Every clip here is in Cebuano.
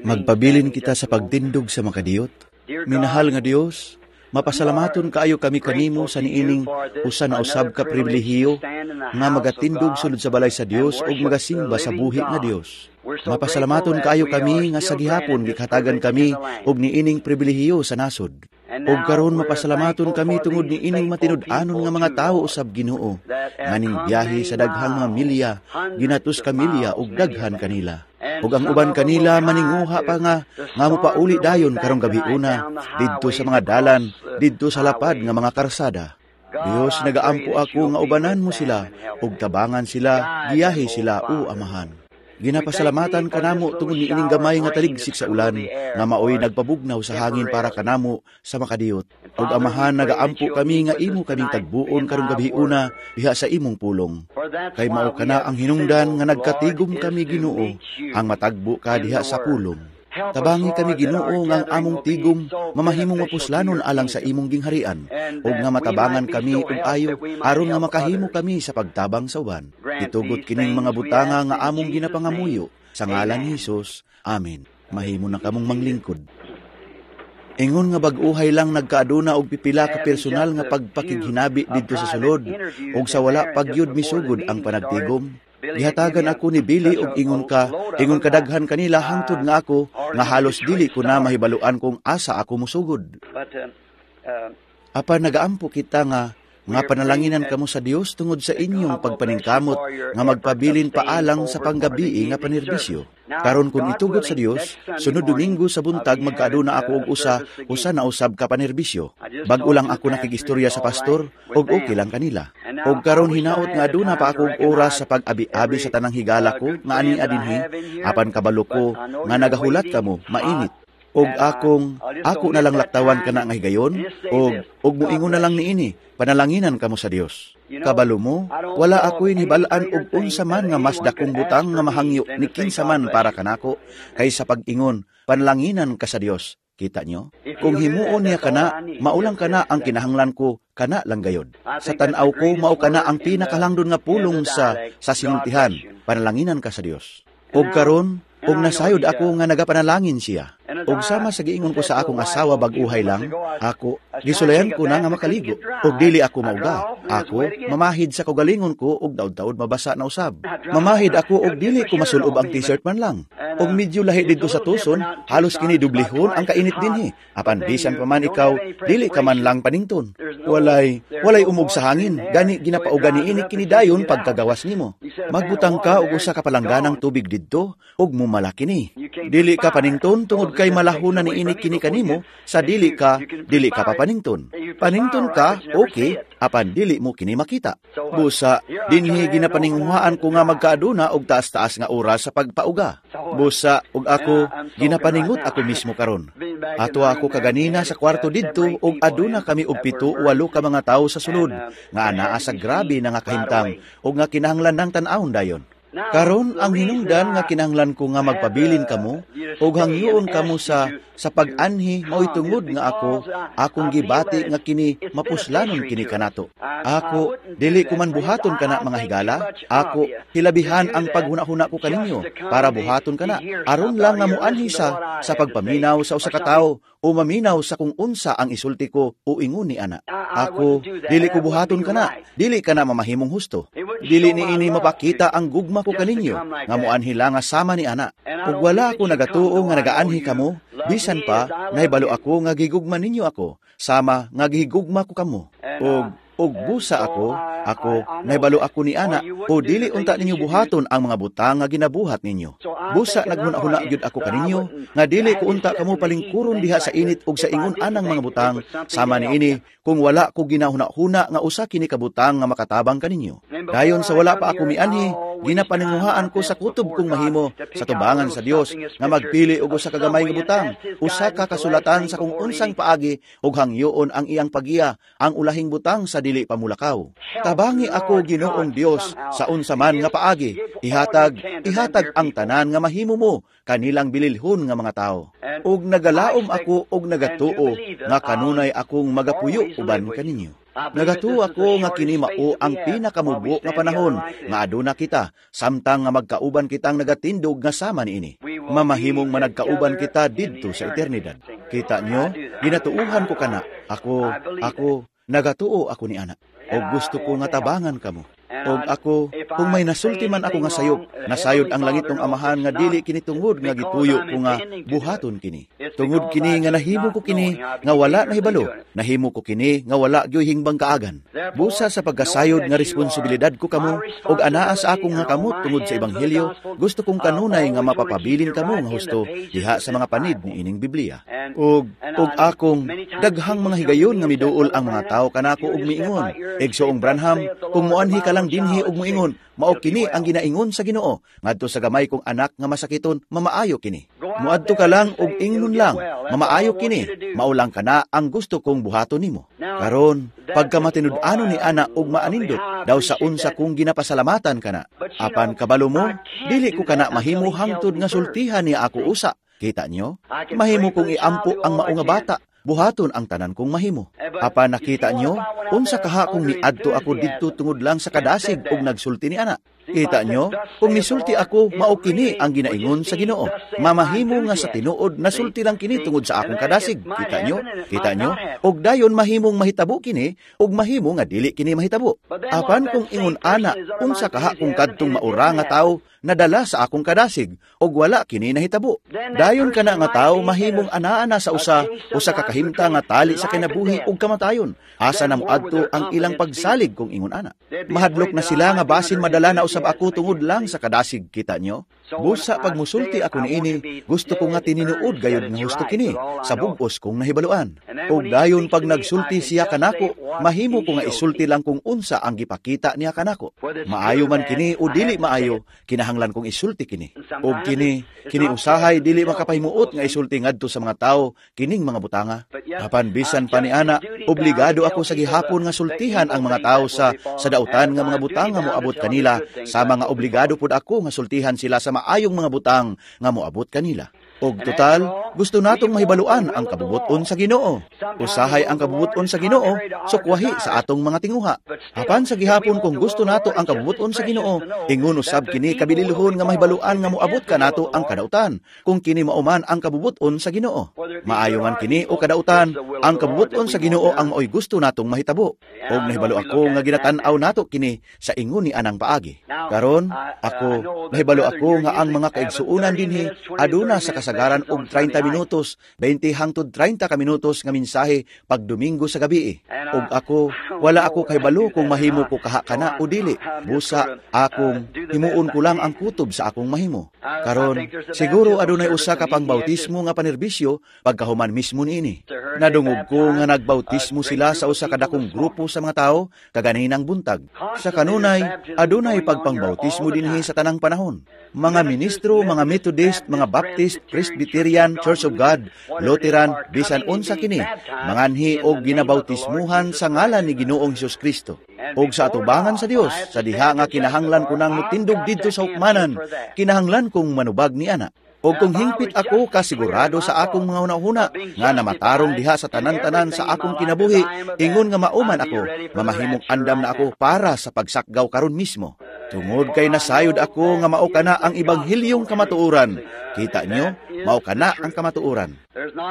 Magpabilin kita sa pagtindog sa makadiyot. Minahal nga Dios, mapasalamaton kaayo kami kanimo sa niining usa na usab ka pribilehiyo nga magatindog sulod sa balay sa Dios ug magasimba sa buhi nga Dios. Mapasalamaton kaayo kami nga sa gihapon gikatagan kami og niining pribilehiyo sa nasod. Ug karon mapasalamaton kami tungod niining matinud-anon nga mga tawo usab, Ginoo, nga ning biyahe sa daghang mga milya, ginatos ka milya ug daghan kanila. Ug ang uban kanila maninguha pa nga mopauli dayon karong gabiuna didto sa mga dalan, didto sa lapad nga mga karsada. Dios, nagaampo ako nga ubanan mo sila ug tabangan sila, giyahe sila, o Amahan. Ginapasalamatan kanamo tungod niining gamay nga taligsik sa ulan nga maoy nagpabugnaw sa hangin para kanamo sa makadiyot. Ug Amahan, nagaampo kami nga imo kaming tagbuon karong gabiuna diha sa imong pulong. Kay mao kana ang hinungdan nga nagkatigom kami, Ginoo, ang matagbo ka diha sa pulong. Tabangi kami, Ginoo, nga ang among tigom mamahimong mapuslanon alang sa imong gingharian ug nga matabangan kami og ayo aron nga makahimo kami sa pagtabang sa uban. Gitugot kining mga butanga nga among ginapangamuyo sa ngalan ni Hesus. Amen. Mahimo na kamong manglingkod. Ingon nga bag-uhay lang nagkaaduna og pipila ka personal nga pagpakighinabi didto sa sulod ug sa wala pagyud misugod ang panagtigom. Gihatagan ako ni Billy og ingon kadaghan kanila hangtod nga ako nga halos dili ko na mahibaluan kung asa ako musugod. Apan nagaampo kita nga panalanginan kamo sa Dios tungod sa inyong pagpaningkamot nga magpabilin paalang sa panggabii nga panerbisyo. Karon kung itugot sa Dios, sunod Domingo sa buntag magkaaduna ako og usa na usab ka panerbisyo. Bag-o lang ako nakigistorya sa pastor og okay lang kanila. Og karon hinaot nga aduna pa ako og oras sa pag-abi-abi sa tanang higala ko nga ani adinhi, apan kabalo ko nga nagahulat kamo mainit. Og ako na lang laktawan kana nga higayon, og moingon na lang niini, panalanginan kamo sa Dios. Kabalo mo, wala ako'y nibal-an og unsa man nga mas dakong butang nga mahangyo ni kinsa man para kanako kaysa pag-ingon, "Panalanginan ka sa Dios." Kita nyo? Kung himuon niya kana, maulang kana ang kinahanglan ko, kana lang gayod. Sa tan-aw ko, mao kana ang pinakalangdon nga pulong sa sinultihan, "Panalanginan ka sa Dios." Og karon, og nasayod ako nga nagapanalangin siya. Og sama sa giingon ko sa akong asawa bag-uhay lang, ako, gisulayan ko na nga makaligo. Og dili ako mauga. Ako, mamahid sa kaugalingon ko og daud-daud mabasa na usab. Mamahid ako og dili ko masulob ang t-shirt man lang. Og medyo lahi didto sa Tucson, halos kini dublihon ang kainit dinhi. Apan bisan pa man ikaw, dili ka man lang panington. Walay umog sa hangin, gani ginapauga niini kini dayon pagkagawas nimo. Magbutang ka og usa ka palangganang tubig didto ug mumala kini. Dili ka panington tungod kay malahon na niini kini kanimo sa dili ka pa panington. Panington ka, okay, apan dili mo kini makita. Busa dinhi ginapaninguhaan ko nga magkaaduna og taas-taas nga oras sa pagpauga. Busa og ako ginapaningot ako mismo karon. Ato ako kaganina sa kwarto didto og aduna kami og 7 o 8 ka mga tawo sa sulod nga anaa sa grabe na nga kahimtang ug nga kinahanglan ng tan-awon dayon. Karon ang hinungdan nga kinahanglan ko nga magpabilin kamo ug hangyoon kamo sa pag-anhi mao'y tungod nga ako akong gibati nga kini mapuslanon kini kanato. Ako dili ko man buhaton kana mga higala, ako hilabihan ang paghuna-huna ko kaninyo para buhaton kana aron lang nga moanhi sa pagpaminaw sa usa ka tawo o maminaw sa kung unsa ang isulti ko o ingon ni ana. Ako dili ko buhaton kana, dili kana mamahimong husto. Dili niini mapakita ang gugma ko kaninyo nga moanhi lang nga sama ni ana. Ug wala ako nagatuo nga nagaanhi kamo, bisan pa nahibalo ako nga gigugma ninyo ako sama nga gihigugma ko kamo. Ug busa ako nahibalo ako ni ana o dili unta ninyo buhaton ang mga butang nga ginabuhat ninyo. Busa naghuna-huna gyud ako kaninyo nga dili ko unta kamo palingkuron diha sa init ug sa ingon anang mga butang sama niini kung wala ko ginahuna-huna nga usa kini ka butang nga makatabang kaninyo. Dayon sa wala pa ako mianhi, ginapaninguhaan ko sa kutob kong mahimo sa tubangan sa Dios nga magpili og usa ka gamay nga butang, usa ka kasulatan sa kung unsang paagi ug hangyoon ang iyang pagiya ang ulahing butang sa dili pamulakaw. Tabangi ako, Ginoong Dios, sa unsa man nga paagi. Ihatag ang tanan nga mahimo mo kanilang bililhon nga mga tawo. Ug nagalaom ako og nagatuo nga kanunay akong magapuyo uban kaninyo. Nagatuo ako nga kini mao ang pinakamubo nga panahon nga aduna kita samtang nga magkauban kitang nagatindog nga sama niini. Mamahimong managkauban kita didto sa eternidad. Kita nyo, ginatuuhan ko kana. Ako, nagatuo ako ni ana. O gusto ko nga tabangan kamo. Og ako, kung may nasulti man ako nga sayop, nasayod ang langit ng amahan nga dili kini tungod nga gituyo ko nga buhaton kini. Tungod kini nga nahimo ko kini nga wala nahibalo, nahimo ko kini nga wala gyoy hingbang kaagan. Busa sa pagkasayod nga responsibilidad ko kamo, og anaa sa akong nga kamot tungod sa ebanghelyo, gusto kong kanunay nga mapapabilin kamo nga husto diha sa mga panid ni ining Biblia. Og akong daghang mga higayon nga miduol ang mga tawo kanako og miingon. Igsoong Branham, kung moanhi ka lang dinhi og moingon, mao kini ang ginaingon sa Ginoo ngadto sa gamay kong anak nga masakiton, mamaayo kini. Moadto ka lang og ingnon lang, mamaayo kini, mao lang kana ang gusto kong buhaton nimo. Karon, pagka matinud-anon ni ana og maanindot, daw sa unsa kong ginapasalamatan kana. Apan kabalo mo, dili ko kana mahimo hangtod nga sultihan niya ako usa. Kita nyo? Mahimo kong iampo ang mao nga bata, buhaton ang tanan kong mahimo. Apan nakita nyo, unsa kaha kung niadto ako didto tungod lang sa kadasig og nagsulti ni ana. Kita nyo, kung nisulti ako, mao kini ang ginaingon sa Ginoo. Mamahimo nga sa tinuod nasulti lang kini tungod sa akong kadasig. Kita nyo? Kita nyo? Og dayon mahimong mahitabo kini, og mahimo nga dili kini mahitabo. Apan kung ingon ana, unsa kaha kung kadtong maura nga tawo nadala sa akong kadasig, og wala kini nahitabo. Dayon kana nga tawo mahimong anaa na sa usa ka kahimta nga tali sa kinabuhi ug kamatayon. Asa na moadto ang ilang pagsalig kung ingon ana. Mahadlok na sila nga basin madala na usab ako tungod lang sa kadasig, kita nyo? Busa pag musulti ako niini, gusto ko nga tininuod gayod nga husto kini, sa bugos kong nahibaluan. Og dayon pag nagsulti siya kanako, mahimo ko nga isulti lang kung unsa ang gipakita niya kanako. Maayo man kini o dili maayo, kinahanglan kong isulti kini. Og kini usahay dili makapahimuot nga isulti ngadto sa mga tawo kining mga butanga. Apan bisan pa ni ana, obligado ako sa gihapon nga sultihan ang mga tawo sa dautan nga mga butanga moabot kanila, sama nga obligado pud ako nga sultihan sila sa maayong mga butang nga moabot kanila. Og total, gusto natong mahibaluan ang kabubuton sa Ginoo. Usahay ang kabubuton sa Ginoo, sukwahi sa atong mga tinguha. Apan sa gihapon kung gusto nato ang kabubuton sa Ginoo, ingon usab kini kabililhon nga mahibaluan nga moabot kanato ang kadautan, kung kini mauman ang kabubuton sa Ginoo. Maayo man kini o kadautan, ang kabubuton sa Ginoo ang maoy gusto natong mahitabo. Og nahibalo ako nga ginatan-aw nato kini sa ingon ni anang paagi. Karon, ako nahibalo ako nga ang mga kaigsuonan dinhi aduna sa kasagaran og 30 minutos, 20 hangtod 30 ka minutos nga mensahe pag Domingo sa gabi. Og ako, wala ako kahibalo kung mahimo ko kaha kana o dili. Busa akong himuon ko lang ang kutob sa akong mahimo. Karon, siguro adunay usa ka pangbautismo nga panerbisyo pagkahuman mismo niini. Nadungog ko nga nagbautismo sila sa usa ka dakong grupo sa mga tawo kaganinang buntag. Sa kanunay, adunay pagpangbautismo dinhi sa tanang panahon. Mga ministro, mga Methodist, mga Baptist, Presbyterian, Church of God, Lutheran, bisan unsa kini, manganhi og ginabautismuhan sa ngalan ni Ginoong Hesus Kristo. Og sa atubangan sa Dios, sa diha nga kinahanglan ko nang motindog didto sa hukmanan, kinahanglan kong manubag ni ana. Og kung hingpit ako kasigurado sa akong mga hunahuna nga namatarong diha sa tanan-tanan sa akong kinabuhi, ingon nga mauman ako, mamahimong andam na ako para sa pagsakgaw karon mismo. Tungod kay nasayod ako nga mao kana ang ebanghilyong kamatuoran. Kita nyo, mao kana ang kamatuoran.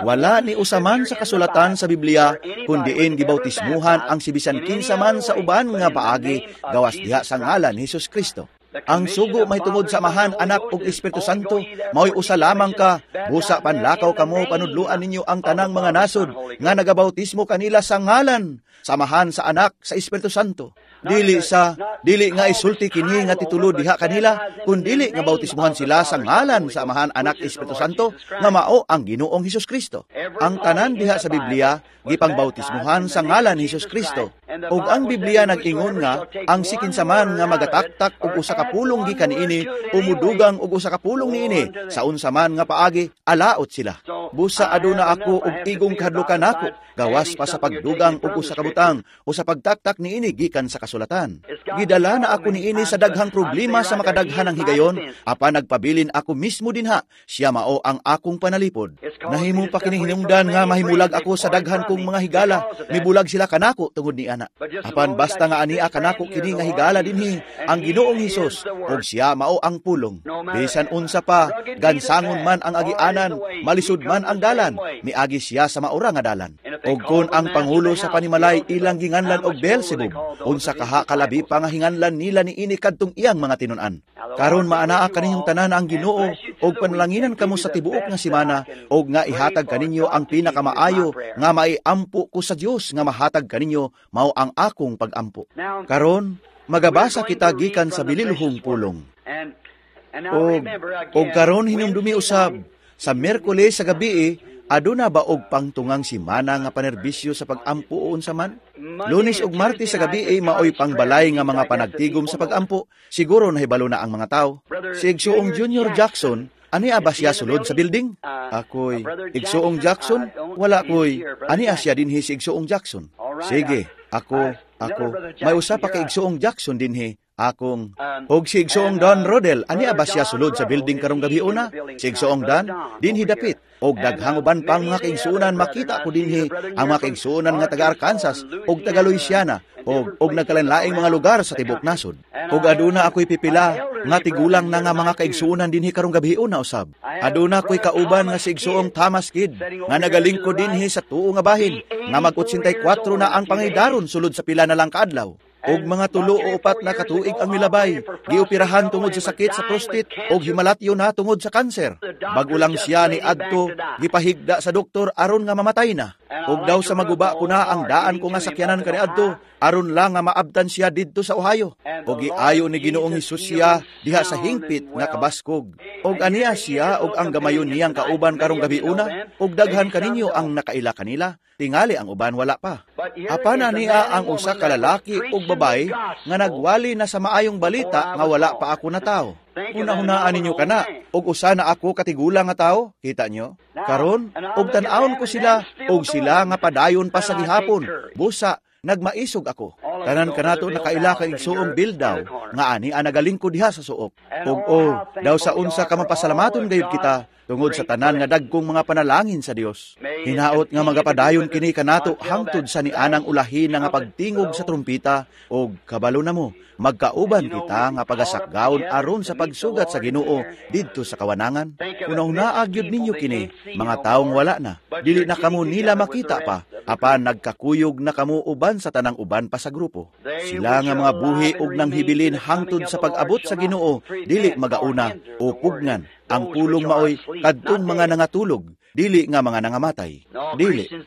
Wala ni usaman sa kasulatan sa Biblia kun diin gibautismuhan ang sibisan kinsa man sa uban nga paagi gawas diha sa ngalan ni Hesus Kristo. Ang sugo mahitungod sa Amahan, Anak ug Espiritu Santo, mao'y usa lamang ka, busa panlakaw kamo panudluan ninyo ang tanang mga nasod nga nagabautismo kanila sa ngalan sa Amahan, sa Anak, sa Espiritu Santo. Dili nga isulti kini nga titulo diha kanila, kun dili nga bautismuhan sila sa ngalan sa Amahan, Anak, Espiritu Santo, nga mao ang Ginoong Hesus Kristo. Ang tanan diha sa Biblia gipangbautismuhan sa ngalan ni Hesus Kristo. Ug ang Biblia nag-ingon nga ang sikinsa man nga magataktak og usa ka pulong gikan niini, umudugang og usa ka pulong niini, sa unsa man nga paagi alaot sila. Busa aduna ako og igong kahadlukan nako, gawas pa sa pagdugang og usa ka butang o sa pagtaktak niini gikan sa kasulatan. Gidala na ako niini sa daghang problema sa makadaghan ng higayon, apan nagpabilin ako mismo dinha, siya mao ang akong panalipod. Nahimo pa kini hinungdan nga mahimulag ako sa daghan kong mga higala, mibulag sila kanako tungod ni ana. Apan basta nga ania kanako kini nga higala dinhi ang Ginoong Hesus, ug siya mao ang pulong. Bisan unsa pa, gansangon man ang agianan, malisod man ang dalan, miagi siya sa maura nga dalan. Og kon ang pangulo sa panimalay ilang ginganlan og Beelzebub, unsa kaha kalabi pa nga hinganlan nila niini kadtong iyang mga tinun-an. Karon maanaa kaninyong tanan ang Ginoo, og panalanginan kamo sa tibuok nga semana, og nga ihatag kaninyo ang pinakamaayo nga maiampo ko sa Dios nga mahatag kaninyo, mao ang akong pagampo. Karon magabasa kita gikan sa bililhong pulong. Og karon hinumdumi usab sa Miyerkules sa gabi, aduna ba og pangtungang simana nga panerbisyo sa pagampo o unsa man? Lunes ug Martes sa gabi maoy pangbalay nga mga panagtigom sa pagampo. Siguro nahibalo na ang mga tao. Si Igsuong Junior Jackson, ani ba siya sulod sa building? Ako'y Igsuong Jackson? Wala ko'y. Ani siya dinhi si Igsuong Jackson? Sige, ako. May usa pa kay Igsuong Jackson dinhi. Akong og si Igsuong Don Rodel, ani ba siya sulod sa building karong gabi una? Si Igsuong Don dinhi dapit. Og daghang uban pang mga kaigsuonan makita ko dinhi ang mga kaigsuonan nga taga Arkansas og taga Louisiana og nagkalainlaing mga lugar sa tibok nasod. Og aduna ako'y pipila nga tigulang na nga mga kaigsuonan dinhi karong gabi una usab. Aduna ako'y kauban nga si Igsuong Thomas Kidd nga nagalingkod dinhi sa tuo nga bahin nga mag-84 na ang pangidaron sulod sa pila na lang kaadlaw. Og mga 3 o 4 na katuig ang milabay, gioperahan tungod sa sakit sa prostate og himalatyo na tungod sa kanser. Bago lang siya ni adto, gipahigda sa doktor aron nga mamatay na. Og daw sa maguba ko na ang daan ko nga sakyanan kaniadto, aron lang nga maabtan siya didto sa Ohio. Og giayo ni Ginoong Hesus siya diha sa hingpit nga kabaskog. Og aniya siya og ang gamayon niyang kauban karong gabi una, og daghan kaninyo ang nakaila kanila, tingali ang uban wala pa. Apan aniya ang usa ka lalaki ug babae nga nagwali na sa maayong balita nga wala pa ako natawo. Una-hunaan ninyo kana, og usa na ako katigulang nga tawo, kita nyo? Karon, og tan-awon ko sila, og sila nga padayon pa sa gihapon, busa, nagmaisog ako. Tanan kanato nakaila kay Igsuong Bildaw, nga ani ang nagalingkod diha sa suok. Og oh, daw sa unsa ka mapasalamaton gayud kita, tungod sa tanan nga dagkong mga panalangin sa Dios. Hinaot nga magapadayon kini kanato hangtod sa nianang ulahin nga pagtingog sa trumpita, og kabalo na mo, magkauban kita nga pagasakgaon aron sa pagsugat sa Ginoo didto sa kawanangan. Una-unaa gyud ninyo kini, mga taong wala na, dili na kamo nila makita pa, apan nagkakuyog na kamo uban sa tanang uban pa sa grupo. Sila nga mga buhi og nanghibilin hangtod sa pag-abot sa Ginoo, dili magauna o pugnan. Ang pulong maoy kadtong mga nangatulog, dili nga mga nangamatay.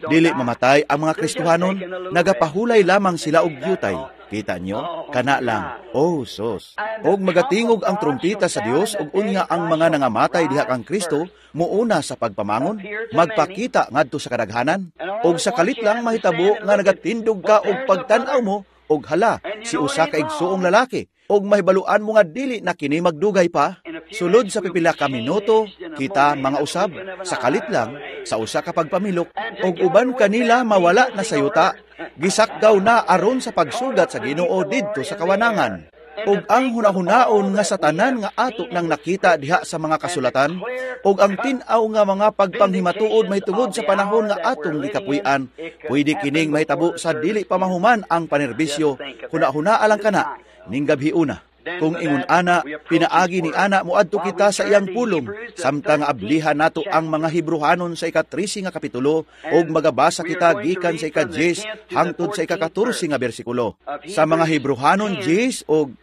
Dili mamatay ang mga Kristohanon, nagapahulay lamang sila og yutay. Kita nyo? Kana lang. Oh, sos. Og magatingog ang trumpita sa Dios og unya ang mga nangamatay diha kang Kristo muuna sa pagpamangon, magpakita ngadto sa kadaghanan, og sa kalit lang mahitabo nga nagatindog ka og pagtan-aw mo og hala si usa ka igsuong lalaki, og mahibaluan mo nga dili na kini magdugay pa. Sulod sa pipila ka minuto, kita mga usab, sa kalit lang, sa usa ka pagpamilok, og uban kanila mawala na sa yuta, gisakgaw na aron sa pagsugat sa Ginoo didto sa kawanangan. Og ang hunahunaon nga sa tanan nga ato nang nakita diha sa mga kasulatan, og ang tin-aw nga mga pagpanghimatuod mahitungod sa panahon nga atong gikapuy-an, pwede kining mahitabo sa dili pa mahuman ang panerbisyo. Hunahunaa lang kana ning gabhiuna. Kung ingon ana, pinaagi ni ana moadto kita sa iyang pulong, samtang ablihan nato ang mga Hebrohanon sa ika-13 nga kapitulo, og magabasa kita gikan sa ika-10 hangtod sa ika-14 nga bersikulo. Sa mga Hebrohanon 10 og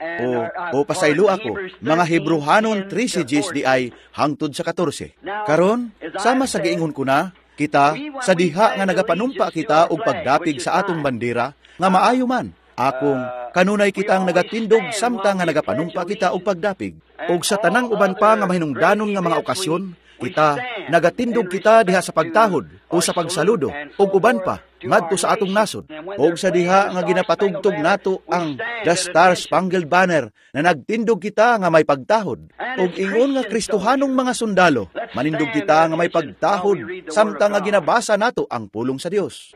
o pasaylo ako, mga Hebrohanon 13 10 di ay hangtod sa 14. Karon, sama sa giingon ko na, kita sa diha nga nagapanumpa kita og pagdapig sa atong bandera nga maayo man. Akong kanunay kitang nagatindog samtang nga nagapanumpa kita og pagdapig. Og sa tanang uban pa nga mahinungdanon nga mga okasyon, kita nagatindog kita diha sa pagtahod o sa pagsaludo og uban pa. ngadto sa atong nasod. Og sa diha nga ginapatugtog nato ang The Star Spangled Banner na nagtindog kita nga may pagtahod. Og ingon nga Kristohanong mga sundalo, manindog kita nga may pagtahod samtang nga ginabasa nato ang pulong sa Dios.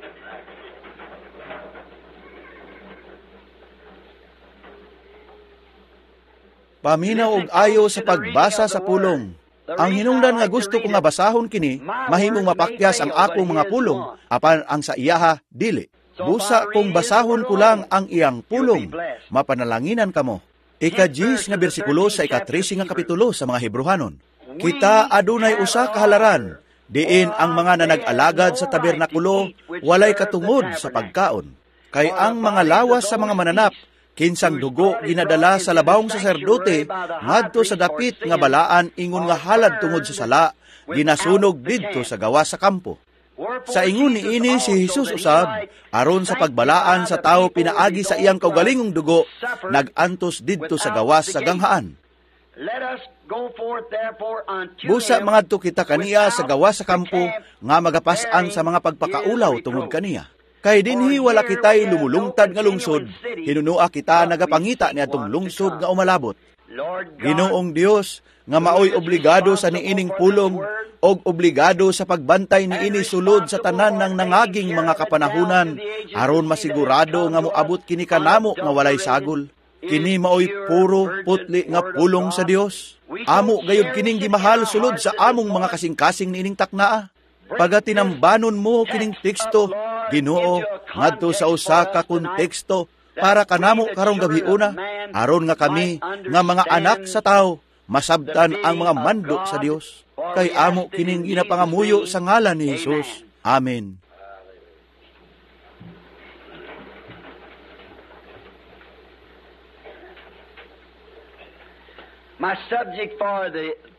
Paminaw og ayo sa pagbasa sa pulong. Ang hinungdan nga gusto ko nga basahon kini, mahimong mapakyas ang akong mga pulong, apan ang sa iyaha dili. Busa kung basahon ko lang ang iyang pulong, mapanalanginan kamo. Ika-10 nga bersikulo sa ika-13 nga kapitulo sa mga Hebrohanon. Kita adunay usa ka halaran, diin ang mga nanag-alagad sa tabernakulo walay katungod sa pagkaon. Kay ang mga lawas sa mga mananap, kinsang dugo ginadala sa labawong saserdote ngadto sa dapit nga balaan ingon nga halad tungod sa sala, ginasunog didto sa gawas sa kampo. Sa ingon niini si Jesus usab, aron sa pagbalaan sa tawo pinaagi sa iyang kaugalingong dugo, nag-antos didto sa gawas sa ganghaan. Busa mangadto kita kaniya sa gawas sa kampo nga magapas-an sa mga pagpakaulaw tungod kaniya. Kay dinhi wala kita'y lumulungtad nga lungsod, hinunua kita nagapangita ni atong lungsod nga umalabot. Ginoong Dios, nga maoy obligado sa niining pulong, og obligado sa pagbantay niini sulod sa tanan ng nangaging mga kapanahunan, aron masigurado nga moabot kini kanamo nga walay sagol. Kini maoy puro putli nga pulong sa Dios. Amo gayud kining gimahal sulod sa among mga kasing-kasing niining taknaa. Pagatinambanon mo kining teksto, Ginoo, ngadto sa usa ka konteksto para kanamo karong gabiuna, aron nga kami nga mga anak sa tawo masabtan ang mga mando sa Dios. Kay amo kining ginapangamuyo sa ngalan ni Jesus. Amen.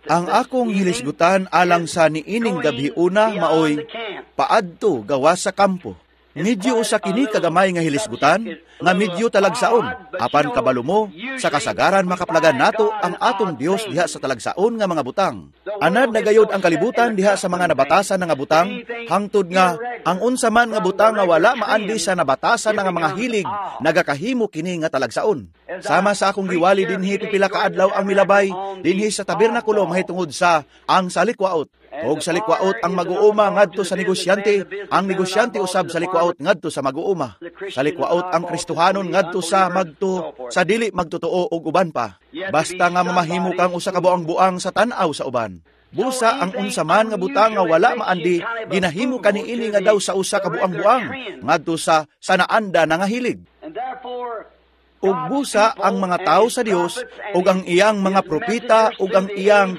Ang akong hilisgutan alang sa niining gabiuna maoy paadto gawas sa kampo. Medyo usa kini kagamay nga hilisgutan, nga medyo talagsaon, apan kabalo mo, sa kasagaran makaplagan nato ang atong Dios diha sa talagsaon nga mga butang. Anad na gayod ang kalibutan diha sa mga nabatasan nga butang, hangtod nga ang unsa man nga butang nga wala maandi sa nabatasan nga mga hilig, nagakahimo kini nga talagsaon. Sama sa akong giwali dinhi pipila ka adlaw ang milabay dinhi sa tabernakulo mahitungod sa ang salikwaot. Og sa likwaot ang mag-uuma ngadto sa negosyante, ang negosyante usab sa likwaot ngadto sa mag-uuma. Sa likwaot ang Kristohanon ngadto sa magto sa dili magtotoo og uban pa. Basta nga mamahimo kang usa ka buang-buang sa tan-aw sa uban. Busa ang unsa man nga butang nga wala maandi, ginahimo kaniini nga daw sa usa ka buang-buang ngadto sa sanaanda na nga hilig. Ug busa ang mga tao sa Dios ug ang iyang mga propeta ug ang iyang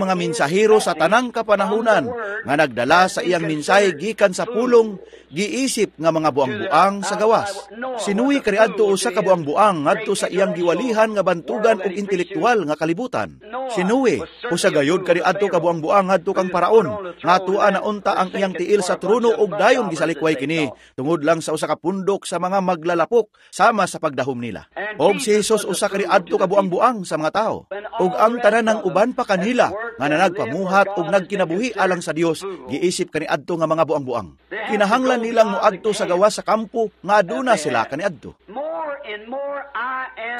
mga mensahero sa tanang kapanahunan nga nagdala sa iyang mensahe gikan sa pulong, giisip nga mga buang-buang sa gawas. Sinuwi kaniadto usa ka buang-buang ngadto sa iyang giwalihan nga bantugan ug intelektual nga kalibutan. Sinuwi usa gayud kaniadto ka buang-buang ngadto kang Paraon nga tua na unta ang iyang tiil sa trono ug dayon gisalikway kini tungod lang sa usa ka pundok sa mga maglalapok sama sa pagdahom nila. Og si Jesus usa kaniadto ka buang-buang sa mga tao. Og ang tanan ng uban pa kanila nga nanagpamuhat og nagkinabuhi alang sa Dios, giisip kaniadto nga mga buang-buang. Kinahanglan nilang moadto sa gawas sa kampo nga aduna sila kaniadto.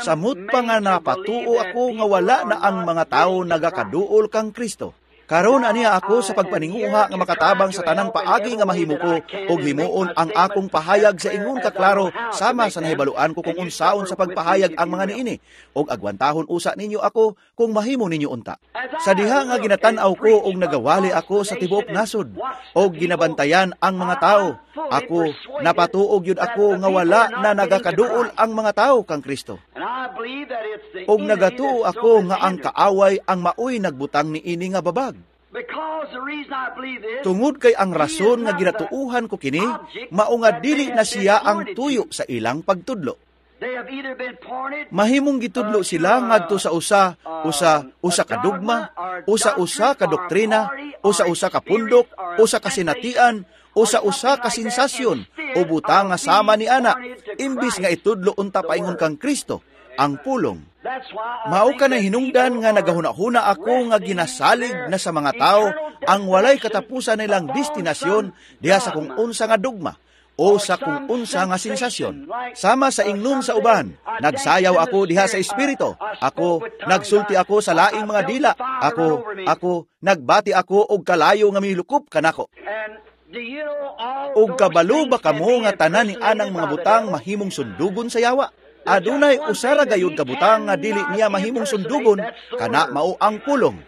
Samot pa nga napatuo ako nga wala na ang mga tao nagakaduol kang Kristo. Karon aniya ako sa pagpaninguha nga makatabang sa tanang paagi nga mahimo ko og himuon ang akong pahayag sa ingon kaklaro sama sa nahibaluan ko kung unsaon sa pagpahayag ang mga niini, og agwantahon usa ninyo ako kung mahimo ninyo unta. Sa diha nga ginatan-aw ko og nagawali ako sa tibuok nasod og ginabantayan ang mga tao, ako napatuog yun ako nga wala na nagakaduol ang mga tao kang Kristo. Og nagatuo ako nga ang kaaway ang maoy nagbutang niini nga babag. Tungod kay ang rason nga ginatuuhan ko kini, mao nga dili na siya ang tuyo sa ilang pagtudlo. Mahimong gitudlo sila ngadto sa usa usa ka dogma, usa-usa ka doktrina, usa-usa ka pundok, usa ka sinatian, usa-usa ka sensasyon o butang nga sama ni ana, imbis nga itudlo unta paingon kang Kristo ang pulong. Mao ka na hinungdan nga nagahuna-huna ako nga ginasalig na sa mga tao ang walay katapusan nilang destinasyon diha sa kung unsa nga dogma, o sa kung unsa nga sensasyon. Sama sa ingnon sa uban, nagsayaw ako diha sa espiritu. Ako, nagsulti ako sa laing mga dila. Ako, nagbati ako og kalayo nga milukop kanako. Og kabalo ba kamo nga tanan ni anang mga butang mahimong sundugon sa yawa? Adunay usara gayud ka butang nga dili niya mahimong sundugon, kana mao ang pulong.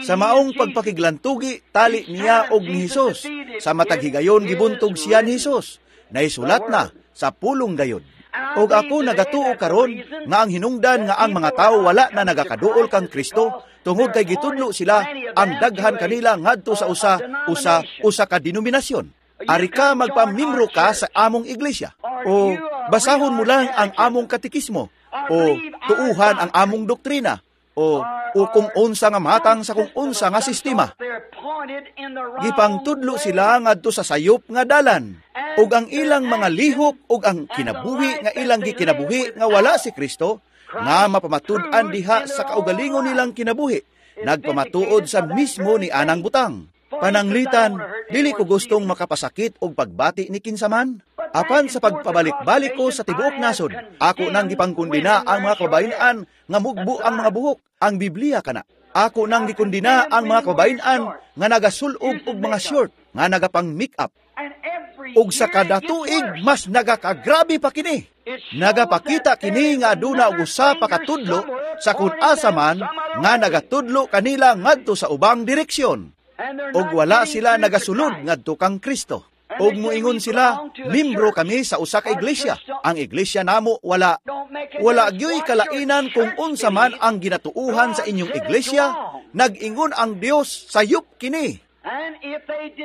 Sa maong pagpakiglantugi, tali niya og ni Hesus. Sa matag higayon gibuntog siya ni Hesus. Naisulat na sa pulong gayud. Og ako nagatuo karon nga ang hinungdan nga ang mga tawo wala na nagakaduol kang Kristo tungod kay gitudlo sila ang daghan kanila ngadto sa usa usa usa ka denominasyon. Ari ka magpamimbro ka sa among iglesia, o basahon mo lang ang among katekismo, o tuuhan ang among doktrina, o kung unsa nga matang sa kung unsa nga sistema. Gipangtudlo sila ngadto sa sayop nga dalan, ug ang ilang mga lihok ug ang kinabuhi nga ilang gikinabuhi nga wala si Kristo, nga mapamatud-an diha sa kaugalingon nilang kinabuhi, nagpamatuod sa mismo ni anang butang. Pananglitan, dili ko gustong makapasakit og pagbati ni kinsaman. Apan sa pagpabalik-balik ko sa tibuok nasod, ako nang gipangkundina ang mga kababayen-an nga mugbo ang mga buhok, ang Biblia kana. Ako nang gikundina ang mga kababayen-an nga nagasul-ob og mga short, nga nagapang make-up. Ug sa kada tuig mas nagakagrabe pa kini. Nagapakita kini nga aduna og usa pa katudlo sa kun asa man nga nagatudlo kanila ngadto sa ubang direksyon. Og wala sila nagasulod ngadto kang Kristo. Og muingon sila, mimbro kami sa usa ka iglesia. Ang iglesia namo wala. Wala gyoy kalainan kung unsa man ang ginatuuhan sa inyong iglesia, nag-ingon ang Dios sayop kini.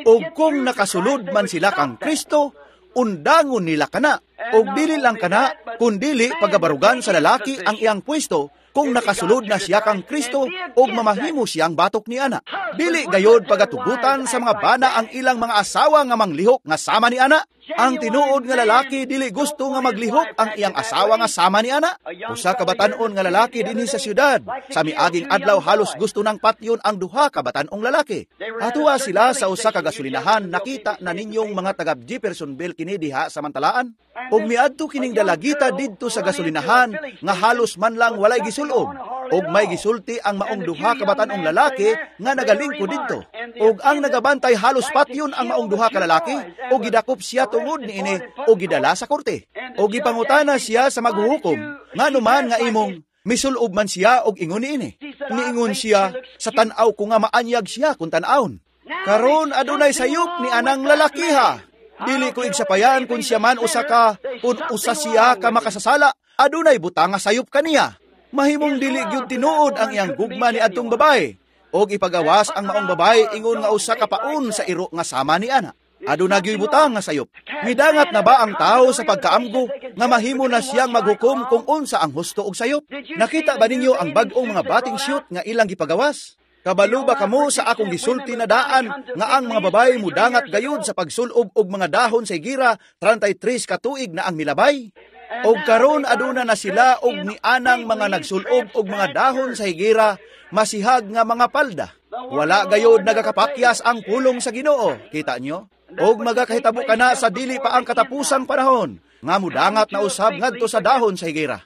Og kung nakasulod man sila kang Kristo, undangon nila kana. Og dili lang kana, kundili pagabarugan sa lalaki ang iyang pwesto kung nakasulod na siya kang Kristo og mamahimo siyang batok ni ana. Dili gayod pagatugutan sa mga bana ang ilang mga asawa nga manglihok nga sama ni ana. Ang tinuod nga lalaki dili gusto nga maglihok ang iyang asawa nga sama ni ana. Usa ka batan-on nga lalaki dinhi sa syudad, sa miaging adlaw halos gusto nang patyon ang duha ka batan-ong lalaki. Atuwa sila sa usa ka gasolinahan, nakita na ninyong mga taga Jeffersonville kini diha sa mantalaan. Og miadto kining dalagita didto sa gasolinahan nga halos man lang walay gisulob, og may gisulti ang maong duha ka batan-ong lalaki nga nagalingkod didto. Og ang nagabantay halos patyon ang maong duha ka lalaki, og gidakop siya tungod niini og gidala sa korte. Og gipangutana siya sa maghuhukom, ngano man nga imong misulob man siya og ingon niini. Niingon siya, sa tan-aw ko nga maanyag siya kung tan-awon. Karon adunay sayop ni anang lalakiha. Dili ko igsapayan kung siya man usa ka, kung usa siya ka makasasala, adunay butang nga sayop kaniya. Mahimong dili gyud tinuod ang iyang gugma ni adtong babae, og ipagawas ang maong babae ingon nga usa ka paon sa iro nga sama ni ana. Aduna gyud butang nga sayop. Midangat na ba ang tao sa pagkaamgo nga mahimo na siyang maghukom kung unsa ang husto og sayop? Nakita ba ninyo ang bag-ong mga bating shoot nga ilang gipagawas? Kabalo ba kamo sa akong gisulti na daan nga ang mga babae mudangat gayud sa pagsulob og mga dahon sa higera 33 ka tuig na ang milabay? Og karon aduna na sila og nianang mga nagsulob og mga dahon sa higera masihag nga mga palda. Wala gayud nagakapakyas ang pulong sa Ginoo, kita nyo? Og magakahitabo kana sa dili pa ang katapusang panahon nga mudangat na usab ngadto sa dahon sa higera.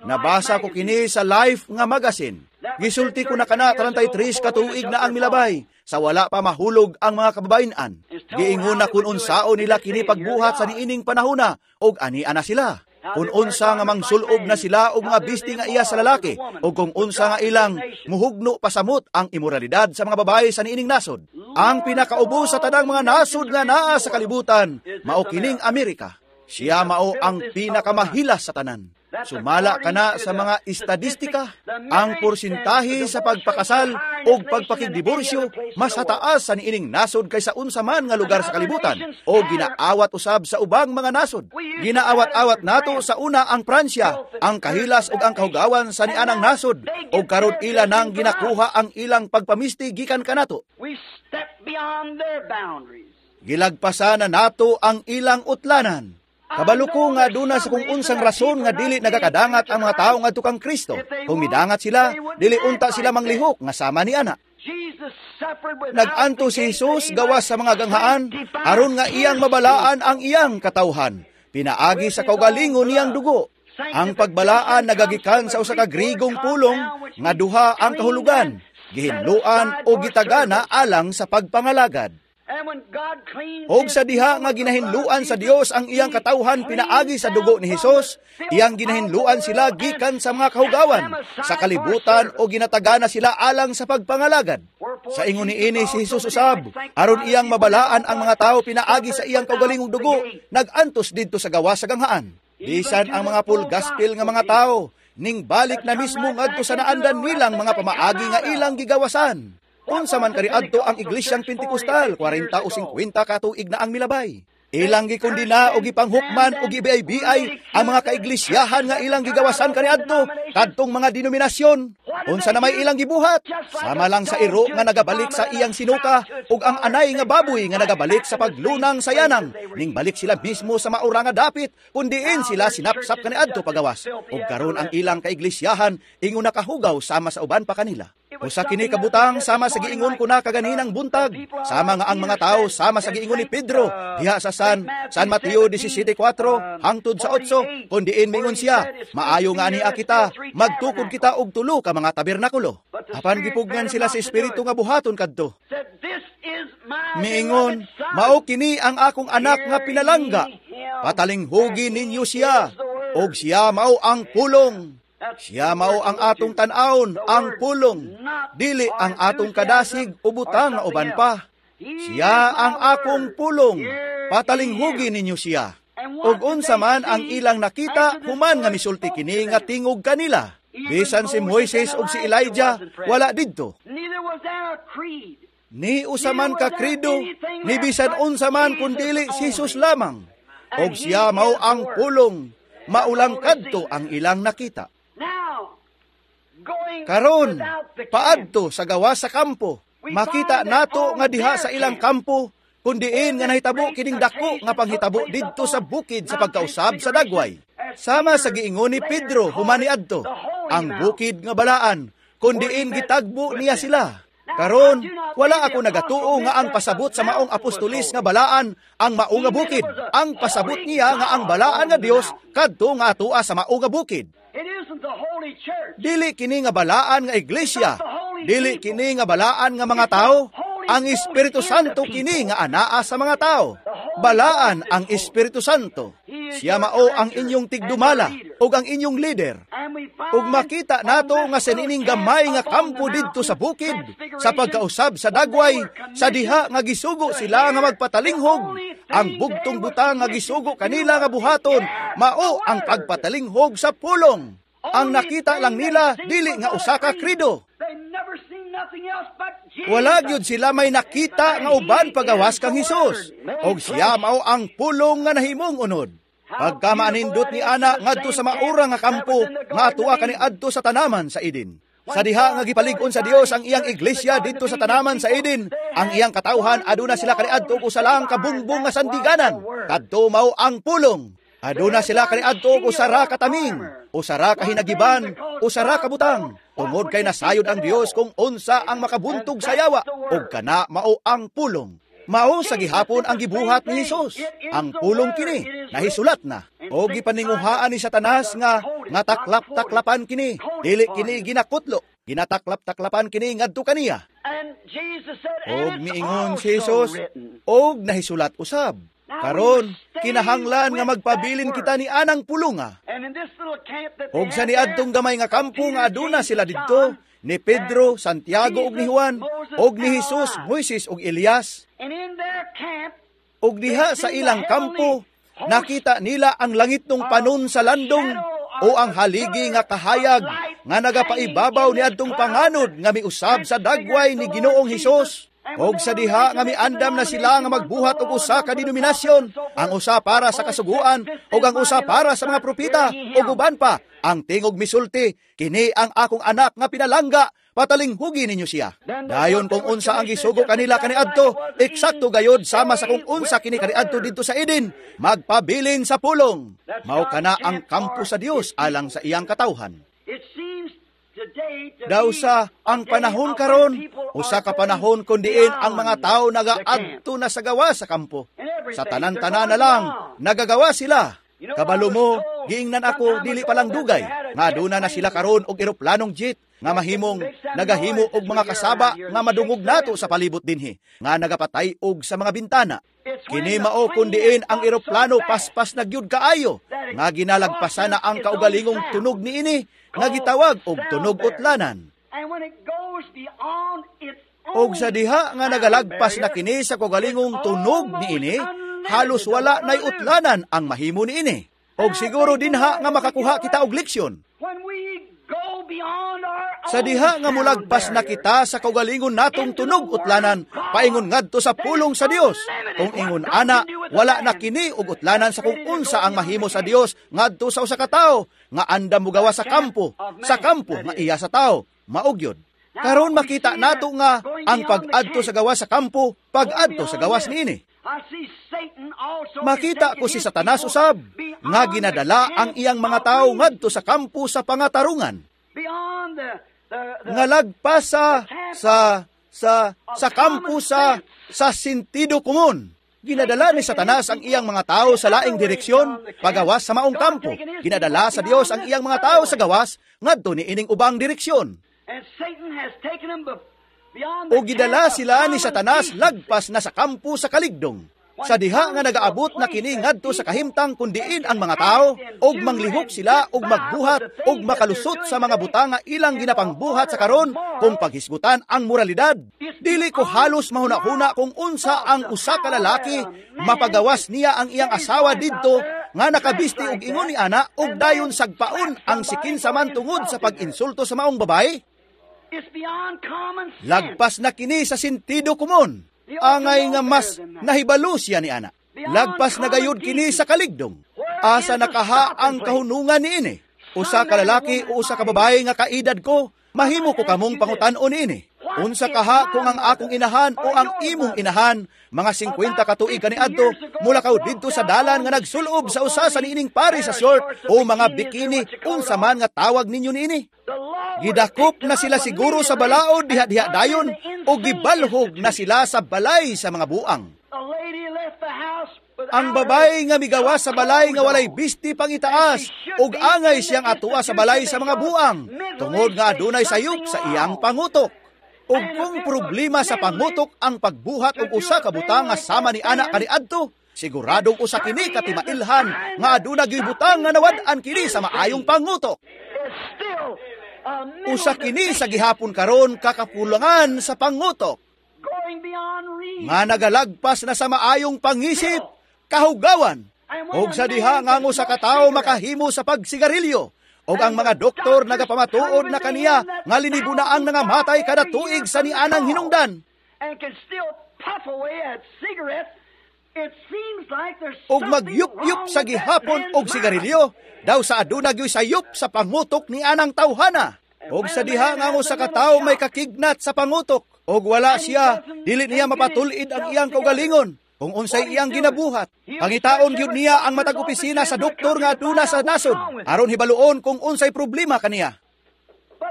Nabasa ko kini sa Life nga magazine. Gisulti ko na kana 33 ka tuig na ang milabay sa wala pa mahulog ang mga kababayen-an. Giingon na kun unsaon nila kini pagbuhat sa niining panahona og ani-ana na sila. Kung unsa nga mangsulob na sila og mga bisti nga iya sa lalaki, o kung unsa nga ilang muhugno pasamot ang imoralidad sa mga babae sa niining nasod. Ang pinakaubo sa tanang mga nasod nga naa sa kalibutan, mao kining Amerika. Siya mao ang pinakamahila sa tanan. Sumala kana sa mga estadistika, ang porsintahe sa pagpakasal o pagpakigdiborsyo mas hataas sa niining nasod kaysa unsa man nga lugar sa kalibutan o ginaawat usab sa ubang mga nasod. Ginaawat-awat nato sa una ang Pransya, ang kahilas ug ang kahugawan sa nianang nasod, o karon ila nang ginakuha ang ilang pagpamisti gikan kanato. Gilagpasan na nato ang ilang utlanan. Kabalo ko nga aduna sa kung unsang rason nga dili nagakadangat ang mga tao ngadto kang Kristo. Kung midangat sila, dili unta sila manglihok nga sama ni ana. Nag-antos si Jesus gawas sa mga ganghaan aron nga iyang mabalaan ang iyang katawhan, pinaagi sa kaugalingon niyang dugo. Ang pagbalaan nagagikan sa usa ka Grigong pulong nga duha ang kahulugan, gihinluan o gitagana alang sa pagpangalagad. Og sa diha nga ginahinluan sa Dios ang iyang katawhan pinaagi sa dugo ni Hesus, iyang ginahinluan sila gikan sa mga kahugawan, sa kalibutan o ginatagana sila alang sa pagpangalagad. Sa ingon niini si Hesus usab, aron iyang mabalaan ang mga tawo pinaagi sa iyang kaugalingong dugo, nag-antos didto sa gawas sa ganghaan. Bisan ang mga full gospel nga mga tawo, ning balik na mismo ngadto sa naandan nilang mga pamaagi nga ilang gigawasan. Unsa man kaniadto ang Iglesyang Pentecostal, 40 o 50 katuig na ang milabay. Ilang gikondina o gipanghukman o gibiay-biay ang mga kaiglisyahan nga ilang gigawasan kaniadto kadtong mga denominasyon. Unsa na may ilang gibuhat? Sama lang sa iro nga nagabalik sa iyang sinuka ug ang anay nga baboy nga nagabalik sa paglunang sa yanang. Ning balik sila mismo sa maura nga dapit kun diin sila sinapsap kaniadto pagawas. Ug karon ang ilang kaiglisyahan ingon nakahugaw sama sa uban pa kanila. Usa kini kabutang sama sa giingon ko na kaganinang buntag, sama nga ang mga tao sama sa giingon ni Pedro diha sa San Mateo 17:4 hangtod sa 8, kun diin mingon siya, maayo nga ania kita, magtukod kita og tulo ka mga tabernakulo. Apan gipugnan sila sa espiritu nga buhaton kadto. Miingon, mao kini ang akong anak nga pinalangga, patalinghugi ninyo siya, og siya mao ang pulong. Siya mao ang atong tan-awon, ang pulong, dili ang atong kadasig o butang nga uban pa. Siya ang akong pulong, patalinghugi ninyo siya. Ug unsa man ang ilang nakita, human nga misulti kini nga tingog kanila. Bisan si Moises ug si Elijah wala didto. Ni usa man ka credo, ni bisan unsa man kun dili si Jesus lamang. Og siya mao ang pulong, maulang kadto ang ilang nakita. Karon, paadto sa gawas sa kampo, makita nato nga diha sa ilang kampo, kun diin nga nahitabo kining dako nga panghitabo didto sa bukid sa pagkausab sa dagway. Sama sa giingon ni Pedro human niadto, ang bukid nga balaan, kun diin gitagbo niya sila. Karon, wala ako nagatuo nga ang pasabot sa maong apostolis nga balaan ang mao nga bukid. Ang pasabot niya nga ang balaan nga Dios kadto nga atua sa mao nga bukid. Dili kini nga balaan nga iglesia, dili kini nga balaan nga mga tao. Ang Espiritu Santo kini nga anaa sa mga tao. Balaan ang Espiritu Santo. Siya mao ang inyong tigdumala ug ang inyong leader. Ug makita nato nga sa nining gamay nga kampo didto sa bukid, sa pagkausab sa dagway, sa diha nga gisugo sila nga magpatalinghog, ang bugtong butang nga gisugo kanila nga buhaton, mao ang pagpatalinghog sa pulong. Ang nakita lang nila, dili nga usa ka credo. Wala gyud sila may nakita nga uban pagawas kang Hesus. Og siya mao ang pulong nga nahimong unod. Pagka maanindot ni ana ngadto sa maura nga kampo nga atua kaniadto sa tanaman sa Eden. Sa diha nga gipalig-on sa Dios ang iyang iglesia didto sa tanaman sa Eden, ang iyang katawhan aduna sila kaniadto og usa lang ka bungbong nga sandiganan. Kadto mao ang pulong. Aduna sila kaniadto og usa ra ka taming, usa ra ka hinagiban, usa ra ka butang. Tungod kay nasayod ang Dios kung unsa ang makabuntog sa yawa, ug kana mao ang pulong. Mao sa gihapon ang gibuhat ni Hesus. Ang pulong kini nahisulat na. O gipaninguhaan ni Satanas nga nga taklap-taklapan kini, dili kini ginakutlo, ginataklap-taklapan kini ngadto kaniya. Og miingon si Hesus, og nahisulat usab. Karon, kinahanglan nga magpabilin kita ni anang pulunga. Og sa niadtong gamay nga kampo nga aduna sila didto, ni Pedro, Santiago ug ni Juan, og ni Jesus, Moises ug Elias. Og diha sa ilang kampo, nakita nila ang langitnong panon sa landong o ang haligi nga kahayag nga nagapaibabaw niadtong panganod nga miusab sa dagway ni Ginoong Hesus. Og sa diha nga miandam na sila nga magbuhat og usa ka denominasyon, ang usa para sa kasuguan ug ang usa para sa mga propeta ug uban pa. Ang tingog misulti, kini ang akong anak nga pinalangga, patalinghugi ninyo siya. Dayon kung unsa ang gisugo kanila kaniadto, eksakto gayod sama sa kung unsa kini kaniadto didto sa Eden, magpabilin sa pulong. Mao kana ang kampo sa Dios alang sa iyang katawhan. Daw sa ang panahon karon, usa ka panahon kun diin ang mga tawo nagaadto na sa gawas sa kampo. Sa tanan-tanan na lang, nagagawa sila. Kabalo mo, giingnan ako dili pa lang dugay, nga aduna na sila karon og eroplanong jet, nga mahimong nagahimo og mga kasaba nga madungog nato sa palibot dinhi, nga nagapatay og sa mga bintana. Kini mao kun diin ang eroplano paspas na gyud kaayo, nga ginalagpasan na ang kaugalingong tunog niini, nga gitawag og tunog utlanan. Og sa diha nga nagalagpas na kini sa kaugalingong tunog niini, halos wala nay utlanan ang mahimo niini. Og siguro dinha nga makakuha kita og leksyon. Sa diha nga mulagpas na kita sa kaugalingon natong tunog utlanan, paingon ngadto sa pulong sa Dios. Kung ingon ana, wala na kini og utlanan sa kung unsa ang mahimo sa Dios ngadto sa usa ka tawo nga andam mogawa sa kampo nga iya sa tawo, mao gyud. Karon makita nato nga ang pag-adto sa gawas sa kampo, pag-adto sa gawas niini. Makita ko si Satanas usab nga ginadala ang iyang mga tawo ngadto sa kampo sa pangatarungan. Nga lagpas sa kampo sa sentido komon. Ginadala ni Satanas ang iyang mga tao sa laing direksyon, pagawas sa maong kampo. Ginadala sa Dios ang iyang mga tao sa gawas ngadto niining ubang direksyon. O gidala sila ni Satanas lagpas na sa kampo sa kaligdong. Sa diha nga nagaabot na kini ngadto sa kahimtang kun diin ang mga tao, og manglihok sila og magbuhat og makalusot sa mga butang nga ilang ginapangbuhat sa karon kung paghisgutan ang moralidad. Dili ko halos mahuna-huna kung unsa ang usa ka lalaki mapagawas niya ang iyang asawa didto nga nakabisti og ingon ni ana og dayon sagpaon ang sikinsa man tungod sa pag-insulto sa maong babae. Lagpas na kini sa sentido komon. Angay nga mas nahibalo siya ni ana. Lagpas na gayud kini sa kaligdong. Asa nakaha ang kahunungan niini? Usa ka lalaki o usa ka babae nga kaedad ko, mahimo ko kamong pangutan-on niini. Unsa kaha kung ang akong inahan o ang imong inahan, mga 50 ka tuig kaniadto, mulakaw didto sa dalan nga nagsulob sa usa sa niining pari sa short o mga bikini, unsa man nga tawag ninyo niini. Gidakop na sila siguro sa balaod diha-diha dayon o gibalhog na sila sa balay sa mga buang. Ang babae nga migawas sa balay nga walay bisti pangitaas ug angay siyang atua sa balay sa mga buang tungod nga adunay sayop sa iyang pangutok. Ug kung problema sa pangutok ang pagbuhat og usa ka butang nga sama ni ana kaniadto, siguradong usa kini ka timailhan nga aduna gyud butang nga nawad-an kini sa maayong pangutok. Usa kini sa gihapon karon kakapulangan sa pangutok nga nagalagpas na sa maayong pangisip, kahugawan. Og sa diha nga ang usa ka tawo makahimo sa pagsigarilyo, og ang mga doktor nagapamatuod na kaniya nga linibo na ang nangamatay kada tuig sa nianang hinungdan. Og magyup-yup sa gihapon og sigarilyo, daw sa aduna gyoy sayop sa pangutok ni anang tawhana. Og sa diha nga ang usa ka tawo may kakignat sa pangutok, og wala siya, dili niya mapatul-id ang iyang kaugalingon kung unsay iyang ginabuhat. Pangitaon gyud niya ang matag opisina sa doktor nga aduna sa nasod aron hibaluon kung unsay problema kaniya.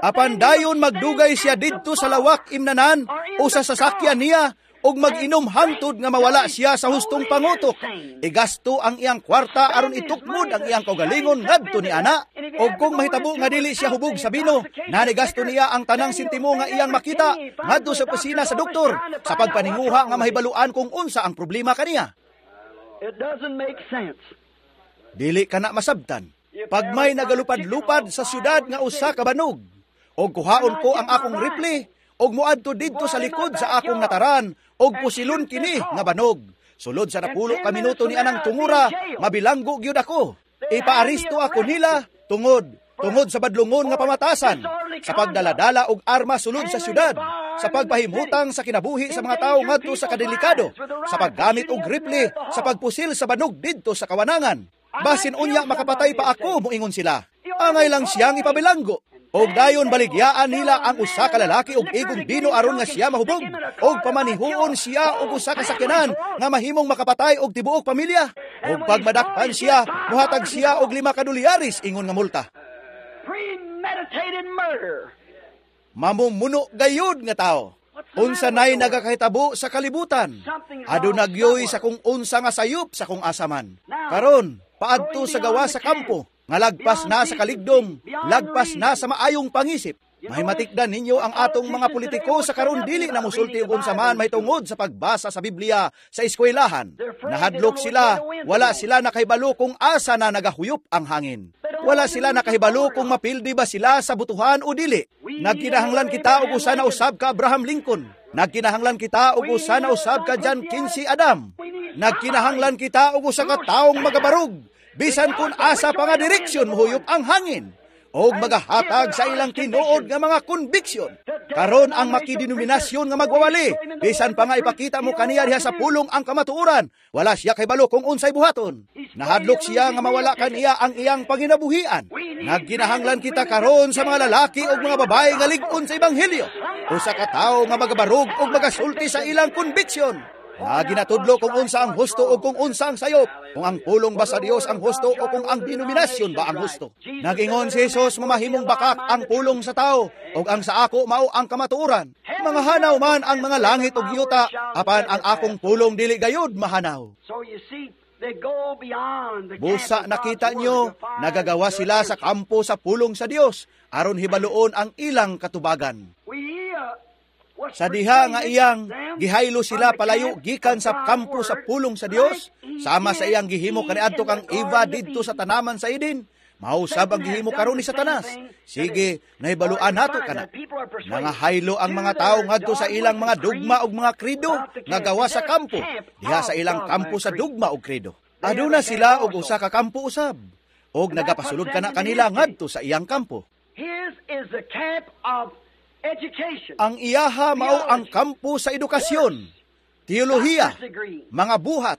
Apan dayon magdugay siya didto sa lawak imnanan o sa sasakyan niya og mag-inom hangtod nga mawala siya sa hustong pangutok. Igasto ang iyang kwarta aron itukmod ang iyang kaugalingon ngadto ni ana. Og kung mahitabo nga dili siya hubog sa bino, nanigasto niya ang tanang sentimo nga iyang makita ngadto sa opisina sa doktor sa pagpaninguha nga mahibaluan kung unsa ang problema kaniya. Dili ka na masabtan. Pag may nagalupad-lupad sa syudad nga usa ka banog, og kuhaon ko ang akong rifle og moadto didto sa likod sa akong nataran og pusilon kini nga banog. Sulod sa napulo ka minuto ni anang tungura, mabilanggo gyud ako. Ipaaristo ako nila tungod sa badlungon nga pamatasan, sa pagdaladala og armas sulod sa syudad, sa pagpahimutang sa kinabuhi sa mga tawo ngadto sa kadelikado, sa paggamit og rifle, sa pagpusil sa banog didto sa kawanangan. Basin unya makapatay pa ako, moingon sila. Angay lang siyang ipabilanggo. Og dayon baligyaan nila ang usa ka lalaki og igong bino aron nga siya mahubog, og pamanihuon siya og usa ka sakyanan nga mahimong makapatay og tibuok pamilya. Og pag madakpan siya, mohatag siya og 5 ka dolyares ingon nga multa. Premeditated murder. Mamumuno gayud nga tao. Unsa nay nagakahitabo sa kalibutan? Aduna gyoy sa kung unsa nga sayop sa kung asa man. Karon, paadto sa gawa sa kampo, nga lagpas na sa kaligdom, lagpas na sa maayong pangisip. Mahimatikdan ninyo ang atong mga politiko sa karon dili na musulti og unsa man mahitungod sa pagbasa sa Biblia sa eskwelahan. Nahadlok sila, wala sila nakahibalo kung asa na nagahuyop ang hangin. Wala sila nakahibalo kung mapildi ba sila sa butuhan o dili. Nagkinahanglan kita og usa na usab ka Abraham Lincoln. Nagkinahanglan kita og usa na usab ka John Quincy Adam. Nagkinahanglan kita og usa ka taong magabarog bisan kung asa pa nga direksyon mohuyop ang hangin og magahatag sa ilang tinuod nga mga konbiksyon. Karon ang makidenominasyon nga magwawali, bisan pa nga ipakita mo kaniya diha sa pulong ang kamatuoran, wala siya kahibalo kung unsay buhaton. Nahadlok siya nga mawala kaniya ang iyang panginabuhian. Nagkinahanglan kita karon sa mga lalaki ug mga babae nga lig-on sa ebanghelyo, usa ka tawo nga magabarog ug magasulti sa ilang konbiksyon. Na ginatudlo kung unsa ang husto o kung unsa ang sayop, kung ang pulong ba sa Dios ang husto o kung ang denominasyon ba ang husto. Nagingon si Jesus, mamahimong bakak ang pulong sa tao, ug ang sa ako mao ang kamatuoran. Mga hanaw man ang mga langit ug yuta, apan ang akong pulong dili gayud mahanaw. Busa nakita nyo, nagagawa sila sa kampo sa pulong sa Dios, aron hibaluon ang ilang katubagan. Sa diha nga iyang gihaylo sila palayo gikan sa kampo sa pulong sa Dios, sama sa iyang gihimo kaniadto kang Eva didto sa tanaman sa Eden, mausab ang gihimo karon ni Satanas. Sige, nahibaluan nato kana. Nangahaylo ang mga tawo ngadto sa ilang mga dugma ug mga kredo nga gawa sa kampo, diha sa ilang kampo sa dugma ug kredo. Aduna sila og usa ka kampo usab, og nagapasulod kana kanila ngadto sa iyang kampo. His is the camp of education. Ang iyaha mao ang kampo sa edukasyon, teolohiya, mga buhat,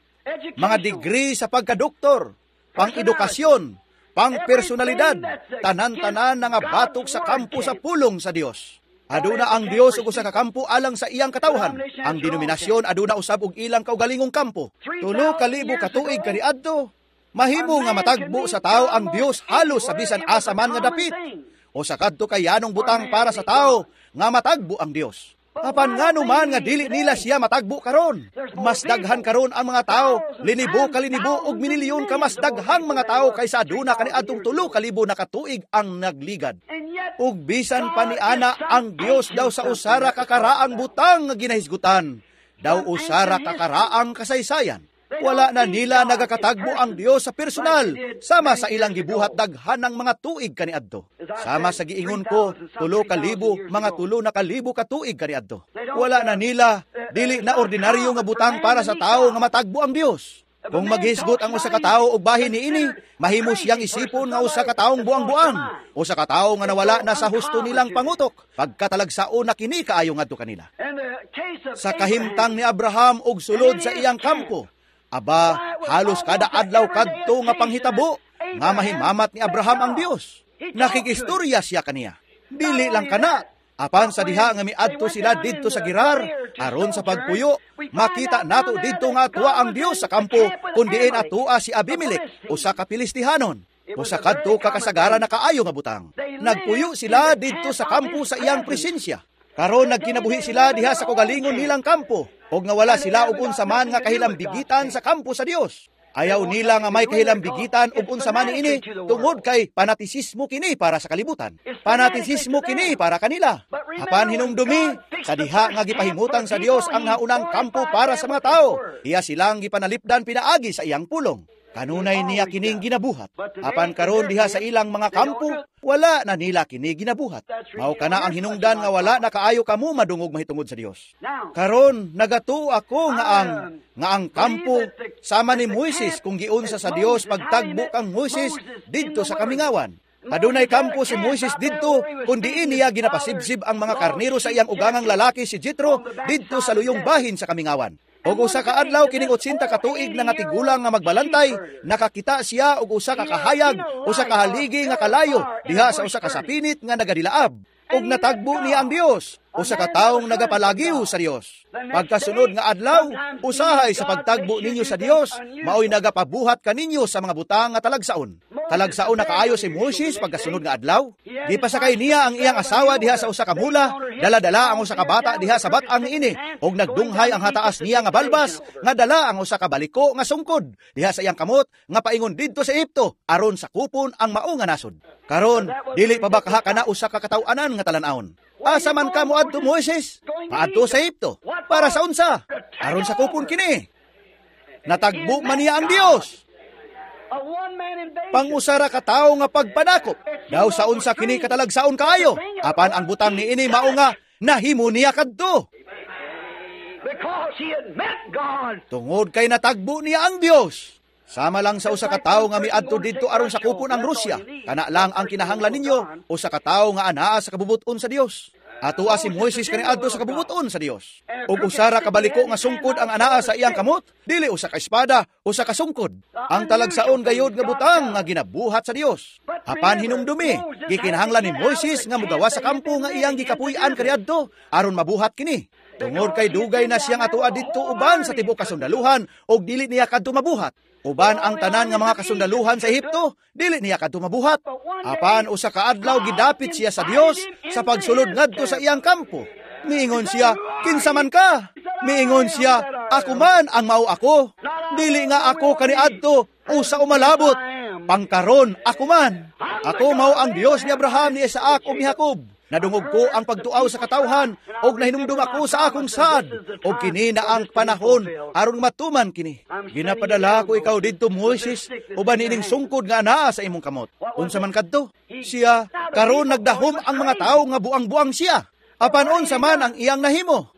mga degree sa pagkadoktor, pang-edukasyon, pang-personalidad, tanan-tanan nga batok sa kampo sa pulong sa Dios. Aduna ang Dios ug usa ka kampo alang sa iyang katawhan. Ang denominasyon aduna usab og ilang kaugalingong kampo. 3,000 ka tuig kaniadto, mahimo nga matagbo sa tawo ang Dios halos sa bisan asa man nga dapit o sa kadto kay yanong butang para sa tao nga matagbo ang Dios. Apan ngano man nga dili nila siya matagbo karon. Mas daghan karon ang mga tao, linibo kalinibo ug minilyon ka mas daghang mga tao kaysa aduna kaniadtong 3,000 na katuig ang nagligad. Ug bisan pa niana ang Dios daw sa usara ka karaang butang nga ginahisgutan, daw usara ka karaang kasaysayan. Wala na nila nagakatagbo ang Dios sa personal, sama sa ilang gibuhat daghan ng mga tuig kaniadto. Sama sa giingon ko, 3,000, mga 3,000 ka tuig kaniadto. Wala na nila, dili na ordinaryo nga butang para sa tao nga matagbo ang Dios. Kung maghisgot ang usa ka tawo og bahin niini, mahimo siyang isipon nga usa ka taong buang-buang, usa ka tawo nga nawala na sa husto nilang pangutok, pagkatalagsaon na kini kaayo ngadto kanila. Sa kahimtang ni Abraham og sulod sa iyang kampo, aba, halos kada adlaw kadto nga panghitabo nga mahimamat ni Abraham ang Dios. Nakikistorya siya kaniya. Dili lang kana, apan sa diha nga miadto sila didto sa Gerar aron sa pagpuyo, makita nato didto nga atua ang Dios sa kampo kun diin atua si Abimelech, usa ka Pilistihanon. Usa kadto ka kasagaran na kaayo nga butang. Nagpuyo sila didto sa kampo sa iyang presensya. Karon nagkinabuhi sila diha sa kaugalingon nilang kampo, og nga wala sila og unsa man nga kahilambigitan sa kampo sa Dios. Ayaw nila nga may kahilambigitan og unsa man niini tungod kay panatisismo kini para sa kalibutan. Panatisismo kini para kanila. Apan hinumdumi sa diha nga gipahimutang sa Dios ang naunang kampo para sa mga tao, iya silang gipanalipdan pinaagi sa iyang pulong. Kanunay niya kining ginabuhat. Apan karon diha sa ilang mga kampo, wala na nila kini ginabuhat. Mao kana ang hinungdan nga wala na kaayo kamo madungog mahitungod sa Dios. Karon nagatuo ako nga ang kampo sama ni Moises kung giunsa sa Dios pagtagbo kang Moises didto sa kamingawan. Adunay kampo si Moises didto kun diin niya ginapasibsib ang mga karnero sa iyang ugangang lalaki si Jethro didto sa luyong bahin sa kamingawan. Og usa ka adlaw kining 80 ka tuig na nga tigulang nga magbalantay, nakakita siya og usa ka kahayag, usa ka haligi nga kalayo diha sa usa ka sapinit nga nagadilaab. Og natagbo niya ang Dios, usa ka taong nagapalagiw sa Dios. Pagkasunod nga adlaw, usahay sa pagtagbo ninyo sa Dios, maoy nagapabuhat kaninyo sa mga butang nga talagsaon. Talagsaon na kaayo si Moises pagkasunod nga adlaw. Gipasakay niya ang iyang asawa diha sa usa ka mula, dala-dala ang usa ka bata diha sa bat-ang niini, ug nagdunghay ang hataas niya nga balbas, nga dala ang usa ka baliko nga sungkod diha sa iyang kamot nga paingon didto sa Ehipto aron sakupon ang mao nga nasod. Karon, dili pa ba kaha kana usa ka kataw-anan nga talan-awon? Asa man ka moadto, Moises? Paadto sa Ehipto. Para sa unsa? Aron sakupon kini. Natagbo man niya ang Dios. Pangusara ka tawo nga pagpanakop. Daw sa unsa kini katalagsaon kaayo. Apan ang butang niini mao nga nahimo niya kadto. Tungod kay natagbo niya ang Dios. Sama lang sa usa ka tawo nga miadto didto aron sakupon ang Rusya. Kana lang ang kinahanglan ninyo, usa ka tawo nga anaa sa kabubuton sa Dios. Atoa si Moises kaniadto sa kabubuton sa Dios. Ug usara ka baliko nga sungkod ang anaa sa iyang kamot, dili usa ka espada, usa ka sungkod. Ang talagsaon gayod nga butang nga ginabuhat sa Dios. Apan hinumdumi, gikinahanglan ni Moises nga mogawas sa kampo nga iyang gikapuy-an kaniadto aron mabuhat kini. Tungod kay dugay na siyang atoa didto uban sa tibuok kasundaluhan ug dili niya kadto mabuhat. Uban ang tanan nga mga kasundaluhan sa Ehipto, dili niya kadto mabuhat. Apan usa ka adlaw gidapit siya sa Dios sa pagsulod ngadto sa iyang kampo. Miingon siya, "Kinsa man ka?" Miingon siya, "Ako man ang mao ako. Dili nga ako kaniadto usa umalabot. Pangkaron ako man. Ako mao ang Dios ni Abraham, ni Isaac ug ni Jacob. Nadungog ko ang pagtuaw sa katawhan, og nahinumdum ako sa akong saad, og kini na ang panahon aron matuman kini. Ginapadala ko ikaw didto, Moises, uban niining sungkod nga anaa sa imong kamot." Unsa man kadto? Siya, karon nagdahom ang mga tawo nga buang-buang siya. Apan unsa man ang iyang nahimo?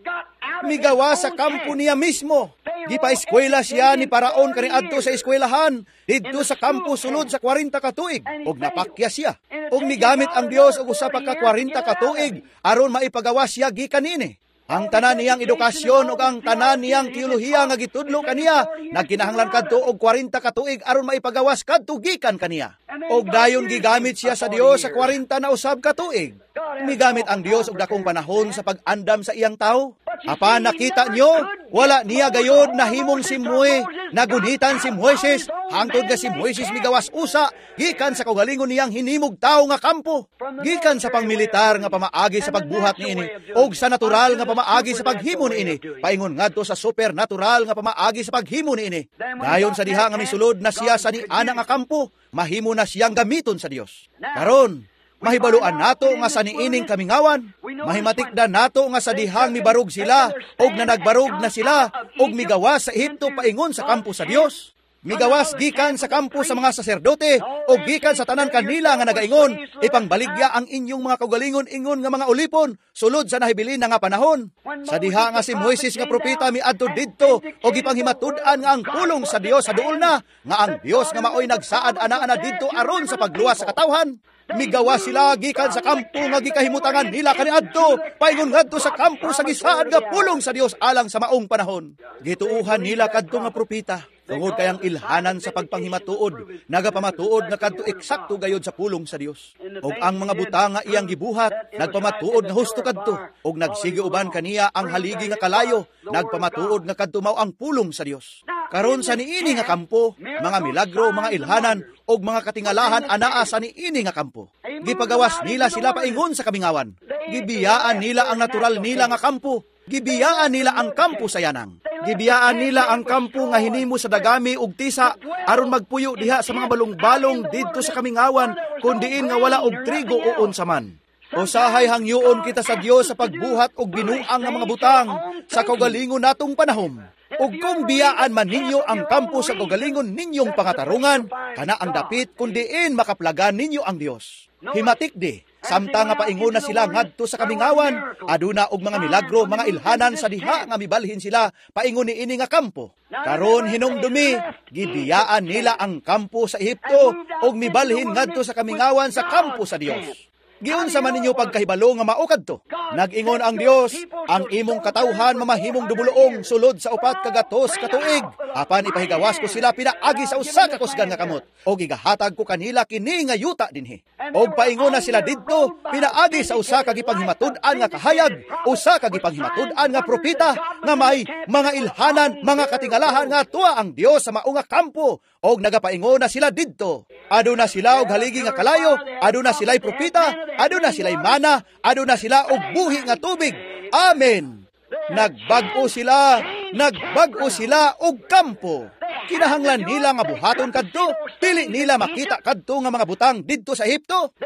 Migawa sa kampo niya mismo. Gipa-eskwela siya ni Paraon kaniadto sa eskwelahan didto sa kampo sulod sa 40 ka tuig, ug napakya siya. Ug migamit ang Dios og usa pa ka 40 ka tuig aron maipagawa siya gikan niini. Ang tanan niyang edukasyon ug ang tanan niyang teolohiya nga gitudlo kaniya nagkinahanglan kadto og 40 ka tuig aron maipagawas kadto gikan kaniya. Og dayon gigamit siya sa Dios sa 40 na usab ka tuig. Migamit ang Dios og dakong panahon sa pag-andam sa iyang tao. Apan nakita nyo, wala niya gayod nahimong si Moe, nagunitan si Moises, hangtod nga si Moises migawas usa, gikan sa kaugalingon niyang hinimog tao nga kampo, gikan sa pangmilitar nga pamaagi sa pagbuhat niini, og sa natural nga pamaagi sa paghimo niini, paingon ngadto sa supernatural nga pamaagi sa paghimo niini. Dayon sa diha nga misulod na siya sa niana nga kampo, mahimo na siyang gamiton sa Dios. Karon, mahibaluan nato nga sa niining kamingawan, mahimatikdan nato nga sa dihang mibarog sila, og nanagbarog na sila, og migawas sa Ehipto paingon sa kampo sa Dios. Migawas gikan sa kampo sa mga saserdote, og gikan sa tanan kanila nga nagaingon, ipangbaligya ang inyong mga kaugalingon ingon nga mga ulipon, sulod sa nahibilin na nga panahon. Sa diha nga si Moises nga propeta miadto didto, og ipanghimatud-an nga ang pulong sa Dios sa duol na, nga ang Dios nga maoy nagsaad ana-ana didto aron sa pagluwas sa katawhan. Migawa sila gikan sa kampo nga gikahimutangan nila kaniadto, paingon ngadto sa kampo sa gisaad nga pulong sa Dios alang sa maong panahon. Gituuhan nila kadto nga propeta, tungod kay ang ilhanan sa pagpanghimatuod nagapamatuod nga kadto eksakto gayod sa pulong sa Dios. Og ang mga butang nga iyang gibuhat nagpamatuod nga husto kadto, og nagsige uban kaniya ang haligi nga kalayo nagpamatuod nga kadto mao ang pulong sa Dios. Karon sa niini nga kampo, mga milagro, mga ilhanan og mga katingalahan anaa sa niini nga kampo. Gipagawas nila sila paingon sa kamingawan. Gibiyaan nila ang natural nila nga kampo. Gibiyaan nila ang kampo sa yanang. Gibiyaan nila ang kampo nga hinimo sa dagami ug tisa aron magpuyo diha sa mga balong-balong didto sa kamingawan kun diin nga wala og trigo o unsa man. Usahay hangyoon kita sa Dios sa pagbuhat og binuang nga mga butang sa kaugalingon natong panahon. Ug kung biyaan man ninyo ang kampo sa kaugalingon ninyong pangatarungan, kana ang dapit kun diin makaplagan ninyo ang Dios. Himatik di, samtang nga paingon na sila ngadto sa kamingawan, aduna og mga milagro, mga ilhanan sa diha nga mibalhin sila paingon niini nga kampo. Karon hinumdumi, gibiyaan nila ang kampo sa Ehipto ug mibalhin ngadto sa kamingawan sa kampo sa Dios. Giunsa man ninyo pagkahibalo nga mao kadto? Nag-ingon ang Dios, ang imong katawhan mamahimong dubuluong sulod sa 400 ka tuig. Apan ipahigawas ko sila pinaagi sa usa ka kusgan nga kamot, og igahatag ko kanila kini nga yuta dinhi. Og paingon na sila didto pinaagi sa usa ka gipanghimatud-an nga kahayag, usa ka gipanghimatud-an nga propeta nga may mga ilhanan, mga katingalahan nga tuwa ang Dios sa mao nga kampo Og nagapaingon na sila didto. Aduna sila og haligi nga kalayo, aduna sila'y propeta, aduna sila'y mana, aduna sila og buhi nga tubig. Amen. Nagbag-o sila, nagbag-o sila og kampo. Kinahanglan nila nga buhaton kadto, dili nila makita kadto nga mga butang didto sa Ehipto.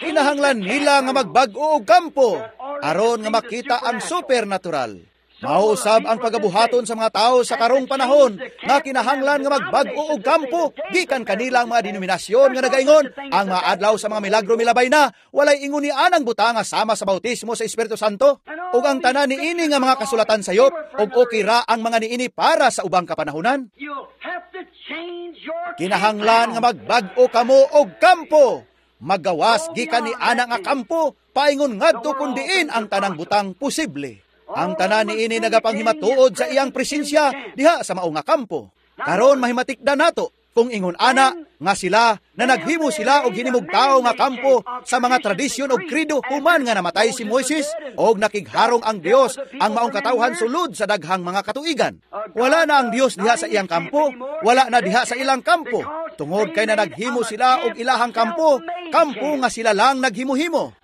Kinahanglan nila nga magbag-o og kampo aron nga makita ang supernatural. Mao usab ang pagabuhaton sa mga tao sa karong panahon nga kinahanglan nga magbag-o og kampo gikan kanila ang mga denominasyon nga nagaingon ang mga adlaw sa mga milagro milabay na, walay ingon ni anang butanga sama sa bautismo sa Espiritu Santo ug ang tanan niini nga mga kasulatan sayop ug okay ra ang mga niini para sa ubang kapanahonan. Kinahanglan nga magbag-o kamo og kampo. Magawas gikan ni ana nga kampo paingon ngadto kun diin ang tanang butang posible. Ang tanan niini nagapanghimatuod sa iyang presensya diha sa mao nga kampo. Karon mahimatikdan nato kung ingon ana nga sila na naghimo sila og hinimog tawo nga kampo sa mga tradisyon og kredo human nga namatay si Moises og nakigharong ang Dios ang maong katawhan sulod sa daghang mga katuigan. Wala na ang Dios diha sa iyang kampo, wala na diha sa ilang kampo. Tungod kay na naghimo sila og ilahang kampo, kampo nga sila lang naghimuhimo.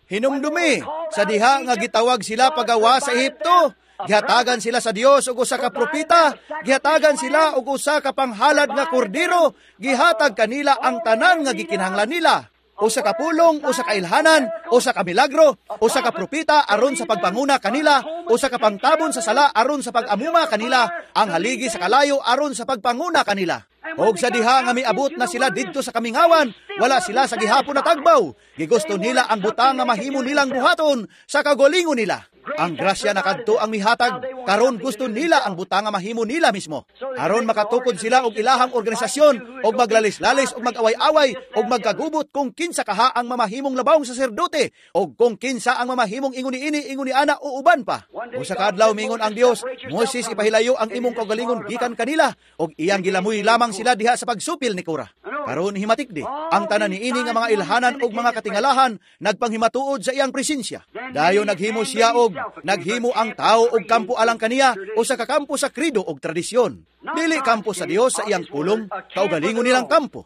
Hinumdumi, sa diha nga gitawag sila pagawa sa Ehipto, gihatagan sila sa Dios og usa ka propeta, gihatagan sila og usa ka panghalad nga kordero, gihatag kanila ang tanan nga gikinahanglan nila. Usa ka pulong, usa ka ilhanan, usa ka milagro, usa ka propeta aron sa pagpanguna kanila, usa ka pangtabon sa sala aron sa pag-amuma kanila, ang haligi sa kalayo aron sa pagpanguna kanila. Og sa diha nga miabot na sila didto sa kamingawan, wala sila sa gihapon na tagbaw. Gigusto nila ang butang nga mahimo nilang buhaton sa kaugalingon nila. Ang grasya na kadto ang mihatag, karon gusto nila ang butang nga mahimo nila mismo. Aron makatukod sila og ilahang organisasyon, og maglalis-lalis og mag-away-away, og magkagubot kung kinsa kaha ang mamahimong labawng saserdote, og kung kinsa ang mamahimong ingon niini, ingon ni ana o uban pa. Usa ka adlaw mingon ang Dios, Moises, ipahilayo ang imong kaugalingon gikan kanila, og iyang gilamoy lamang sila diha sa pagsupil ni Kora. Karon himatikdi, ang tanan niini nga mga ilhanan og mga katingalahan nagpanghimatuod sa iyang presensya. Dayon naghimo siya og naghimo ang tao og kampo alang kaniya, usa ka kampo sa kredo og tradisyon. Dili kampo sa Dios sa iyang pulong, kaugalingon nilang kampo.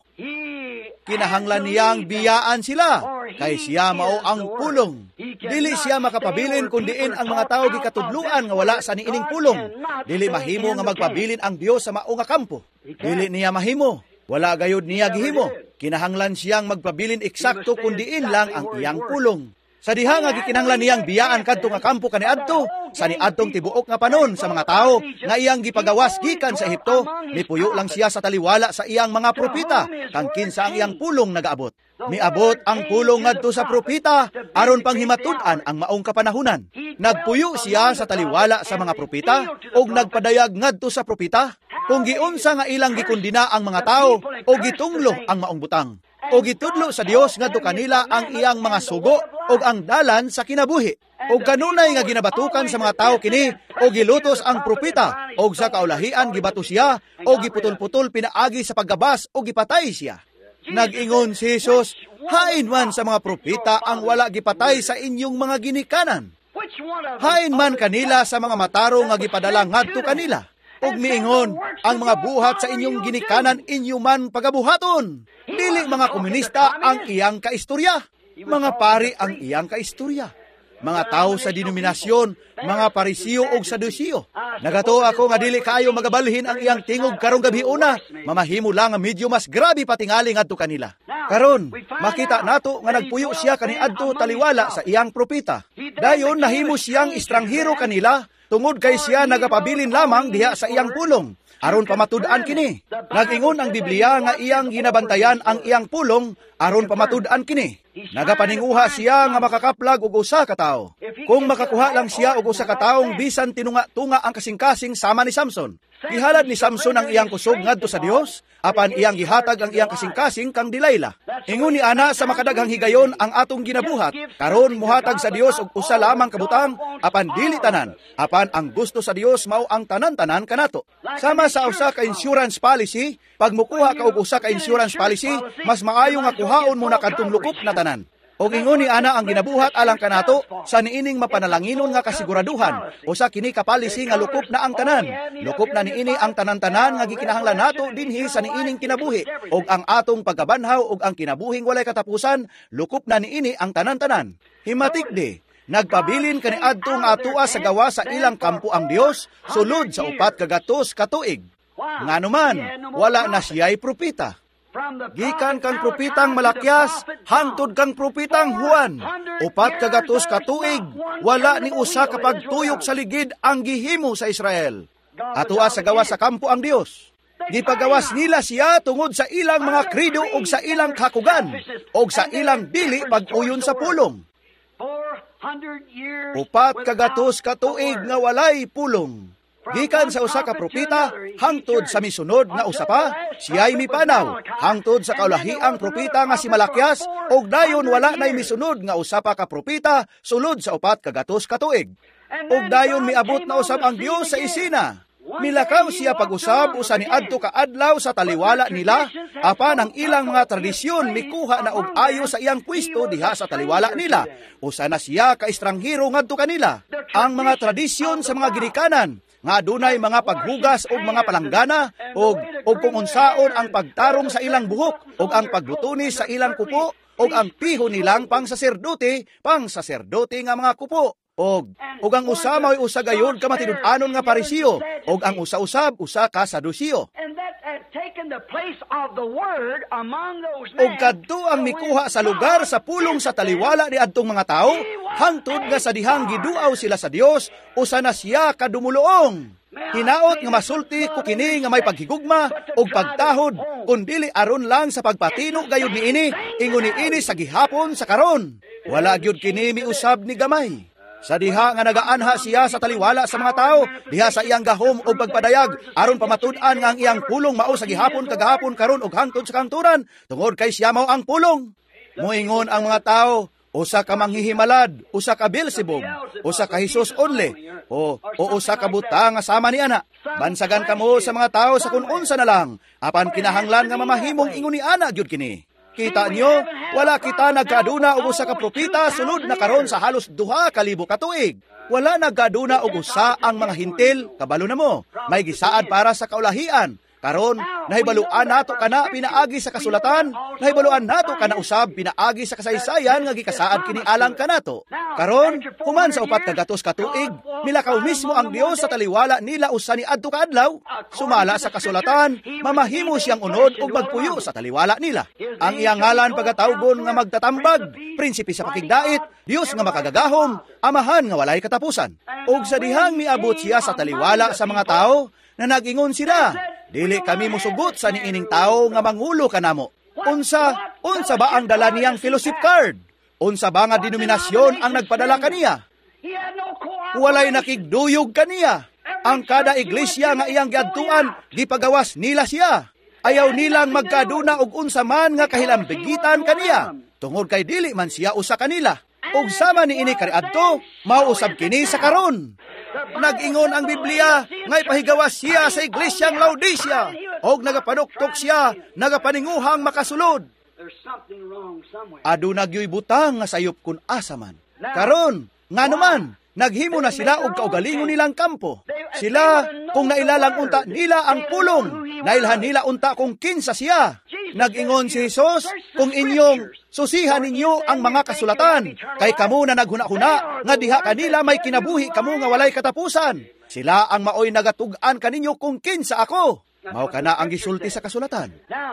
Kinahanglan niyang biyaan sila, kay siya mao ang pulong. Dili siya makapabilin kun diin ang mga tawo gikatudluan nga wala sa niining pulong. Dili mahimo nga magpabilin ang Dios sa mao nga kampo. Dili niya mahimo. Wala gayud niya gihimo. Kinahanglan siyang magpabilin eksakto kun diin lang ang iyang pulong. Sa diha nga gikinahanglan niyang biyaan kadto nga kampo kaniadto, sa niadtong tibuok nga panon sa mga tawo nga iyang gipagawas gikan sa Ehipto, mipuyo lang siya sa taliwala sa iyang mga propeta, kang kinsa ang iyang pulong nagaabot. Miabot ang pulong ngadto sa propeta aron panghimatud-an ang maong kapanahunan. Nagpuyo siya sa taliwala sa mga propeta ug nagpadayag ngadto sa propeta kung giunsa nga ilang gikondena ang mga tawo o gitunglo ang maong butang. O gitudlo sa Dios ngadto kanila ang iyang mga sugo ug ang dalan sa kinabuhi. Og kanunay nga ginabatukan sa mga tawo kini o gilutos ang propeta og sa kaulahian gibato siya o giputol-putol pinaagi sa paggabas o gipatay siya. Nag-ingon si Jesus, hain man sa mga propeta ang wala gipatay sa inyong mga ginikanan. Hain man kanila sa mga matarong nga gipadala ngadto kanila. Ug miingon, ang mga buhat sa inyong ginikanan inyo man pagabuhaton. Dili mga komunista ang iyang kaistorya, mga pari ang iyang kaistorya, mga tao sa denominasyon, mga Parisiyo og Sadusiyo. Nagatuo ako nga dili kaayo magabalhin ang iyang tingog karong gabi una, mamahimo lang nga medyo mas grabe patingali ngadto kanila. Karon, makita nato nga nagpuyo siya kaniadto taliwala sa iyang propeta. Dayon nahimo siyang estranghero kanila tungod kay siya nagapabilin lamang diha sa iyang pulong. Aron pamatud-an kini. Nag-ingon ang Biblia nga iyang ginabantayan ang iyang pulong aron pamatud-an kini. Nagapaninguha siya nga makakaplag og usa ka tawo. Kung makakuha lang siya og usa ka taong bisan tinunga-tunga ang kasing-kasing sama ni Samson. Gihalad ni Samson ang iyang kusog ngadto sa Dios, apan iyang gihatag ang iyang kasing-kasing kang Delilah. Ingon ni ana sa makadaghang higayon ang atong ginabuhat, karon muhatag sa Dios og usa lamang kabutang, apan dili tanan, apan ang gusto sa Dios mao ang tanan-tanan kanato. Sama sa usa ka insurance policy, pag mukuha ka og usa ka insurance policy, mas maayo nga kuhaon mo na kadtong lukop na tanan. Og ingon ni ana ang ginabuhat alang kanato sa niining mapanalanginon nga kasiguraduhan. Usa kini ka policy nga lukop na ang tanan. Lukop na niini ang tanan-tanan nga gikinahanglan nato dinhi sa niining kinabuhi. Og ang atong pagkabanhaw og ang kinabuhing walay katapusan, lukop na niini ang tanan-tanan. Himatik di, nagpabilin kaniadto nga atua sa gawa sa ilang kampo ang Dios sulod sa 400 ka tuig. Nganuman, wala na siya'y propeta. Gikan kang propetang Malakias, hangtod kang propetang Juan, 400 ka tuig, wala ni usa ka pagtuyok sa ligid ang gihimo sa Israel. Atua sa gawa sa kampo ang Dios. Gipagawas nila siya tungod sa ilang mga krido og sa ilang kakugan, og sa ilang dili pag-uyon sa pulong. 400 ka tuig nga walay pulong. Gikan sa usa ka propeta, hangtod sa misunod nga usa pa, siya'y mipanaw, hangtod sa kaulahiang propeta nga si Malakias, og dayon wala na'y misunod nga usa pa ka propeta, sulod sa 400 ka tuig. Og dayon miabot na usab ang Dios sa isina. Milakaw siya pag-usab usa ni adto ka adlaw sa taliwala nila, apan ang ilang mga tradisyon mikuha na og ayo sa iyang pwesto diha sa taliwala nila. Usa na siya ka estranghero ngadto kanila. Ang mga tradisyon sa mga ginikanan nga adunay mga paghugas og mga palanggana og kung unsaon ang pagtarong sa ilang buhok og ang pagbutunis sa ilang kupo og ang piho nilang pangsaserdote nga mga kupo. Og ang usa mao'y usa gayud ka matinud-anon nga Parisiyo, og ang usa-usab usa ka Sadusiyo. Og kadto ang mikuha sa lugar sa pulong sa taliwala ni adtong mga tawo, hangtod nga sa dihang giduaw sila sa Dios, usa na siya kadumuluong. Hinaot nga masulti ko kini nga may paghigugma og pagtahod, kun dili aron lang sa pagpatino gayud niini, ingon niini sa gihapon sa karon. Wala gyud kini miusab ni gamay. Sa diha nga nagaanha siya sa taliwala sa mga tao, diha sa iyang gahom o pagpadayag, aron pamatud-an nga ang iyang pulong mao sa gihapon kagahapon karon og hangtod sa kangturan, tungod kay siya mao ang pulong. Moingon ang mga tao, usa ka manghihimalad, usa ka Beelzebub, usa ka Jesus only, o usa ka buta nga sama ni ana. Bansagan kamo sa mga tao sa kun unsa na lang, apan kinahanglan nga mamahimong ingon ni ana gyud kini. Kita niyo, wala kita nagkaduna og usa ka propeta sulod na karon sa halos 2,000 ka tuig. Wala nagkaduna og usa ang mga hintil, kabalo na mo. May gisaad para sa kaulahian. Karon, nahibaluan nato kana pinaagi sa kasulatan, nahibaluan nato kana usab pinaagi sa kasaysayan nga gikasaad kini alang kanato. Karon, human sa 400 ka tuig, milakaw mismo ang Dios sa taliwala nila usa ni adto ka adlaw. Sumala sa kasulatan, mamahimo siyang unod ug magpuyo sa taliwala nila. Ang iyang ngalan pagatawgon nga magtatambag, prinsipe sa pakigdait, Dios nga makagagahom, Amahan nga walay katapusan. Ug sa dihang miabot siya sa taliwala sa mga tao, na nag-ingon sila, dili kami musugot sa niining tao nga mangulo kanamo. Unsa ba ang dala niyang fellowship card? Unsa ba nga denominasyon ang nagpadala kaniya? Walay nakigduyog kaniya. Ang kada iglesia nga iyang giadtuan, gipagawas nila siya. Ayaw nilang magkaduna og unsa man nga kahilambigitan kaniya, tungod kay dili man siya usa kanila. Ug sama niini kaniadto, mao usab kini sa karon. Nag-ingon ang Biblia, ngay pahigawas siya sa iglesyang Laodicea, og nagapanuktok siya, nagapaninguhang makasulod. Aduna gyoy butang nga sayop kun asa man. Karon, nganuman, naghimo na sila og kaugalingon nilang kampo. Sila, kung nailalang unta nila ang pulong, nailhan nila unta kung kinsa siya. Nag-ingon si Jesus, kung inyong susihan ninyo ang mga kasulatan, kay kamo na naghuna-huna, nga diha kanila may kinabuhi kamo nga walay katapusan. Sila ang maoy nagatug-an kaninyo kung kinsa ako. Mao kana ang gisulti sa kasulatan.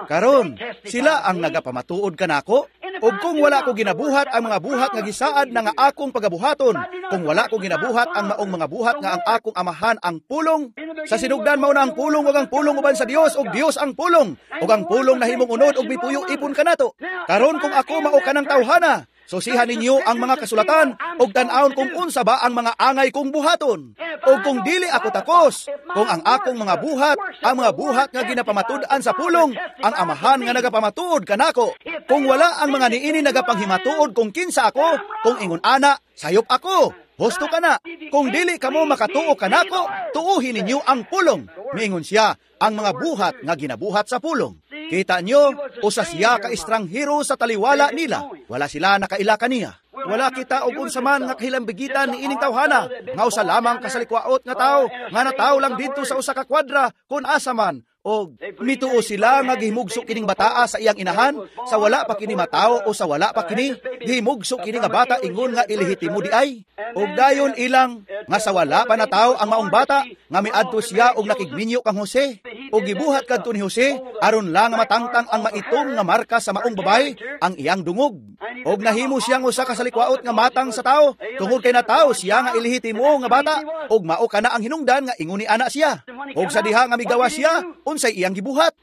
Karon, sila ang nagapamatuod kanako, ug kung wala ko ginabuhat ang mga buhat nga gisaad na nga akong pagabuhaton, kung wala ko ginabuhat ang maong mga buhat nga ang akong amahan ang pulong, sa sinugdan mao na ang pulong ug ang pulong uban sa Dios ug Dios ang pulong, ug ang pulong nahimong unod ug mipuyo ipon kanato. Karon kung ako mao kanang tawhana, susihan ninyo ang mga kasulatan ug tan-awon kung unsa ba ang mga angay kong buhaton. O kung dili ako takos, kung ang akong mga buhat, ang mga buhat nga ginapamatud-an sa pulong, ang amahan nga nagapamatuod kanako. Kung wala ang mga niini nagapanghimatuod kung kinsa ako, kung ingon ana, sayop ako. Husto ka na. Kung dili kamo makatuo kanako, tuuhin ninyo ang pulong. Miingon siya, ang mga buhat nga ginabuhat sa pulong. Kita nyo, usa siya ka estranghero sa taliwala nila. Wala sila nakaila kaniya. Wala kita og unsa man nga kahilambigitan ni ining tawhana, nga usa lamang kasalikwaot nga tawo, nga nataw lang didto sa usa ka kwadra kun asa man. Og mituo sila nga gihimugso kining bataa sa iyang inahan, sa wala pa kini matawo o sa wala pa kini gihimugso kini nga bata ingon nga ilehitimo di ay. Og dayon ilang nga sa wala pa natawo ang maong bata nga miadto siya og nakigminyo kang Jose, og gibuhat kadto ni Jose aron lang nga matangtang ang maitom nga marka sa maong babae ang iyang dungog. Og nahimo siyang usa ka salikwaot nga matang sa tawo tungod kay natawo siya nga ilehitimo nga bata, og mao kana ang hinungdan nga ingon ni ana siya. Og sa diha nga migawa siya, unsay iyang gibuhat?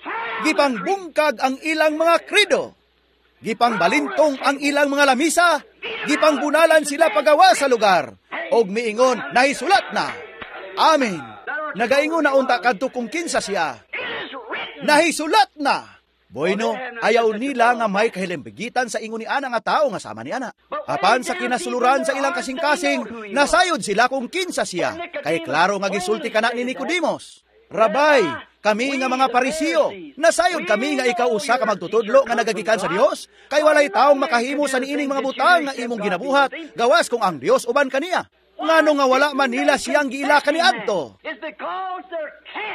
Gipangbungkag ang ilang mga kredo. Gipangbalintong ang ilang mga lamisa. Gipangbunalan sila pagawa sa lugar. Og miingon, nahisulat na. Amen. Nagaingon na unta kadto kung kinsa siya. Nahisulat na. Bueno, ayaw nila nga may kahilimbigitan sa ingon ni ana nga tao nga sama ni ana. Apan sa kinasuluran sa ilang kasing-kasing, nasayod sila kung kinsa siya. Kay klaro nga gisulti kana ni Nicodemos. Rabay, kami nga mga Pariseo, nasayod kami nga ikaw usa ka magtutudlo nga nagagikan sa Dios, kay walay taong makahimo sa niining mga butang nga imong ginabuhat, gawas kung ang Dios uban kaniya. Ngano nga wala man nila siyang giila kaniadto?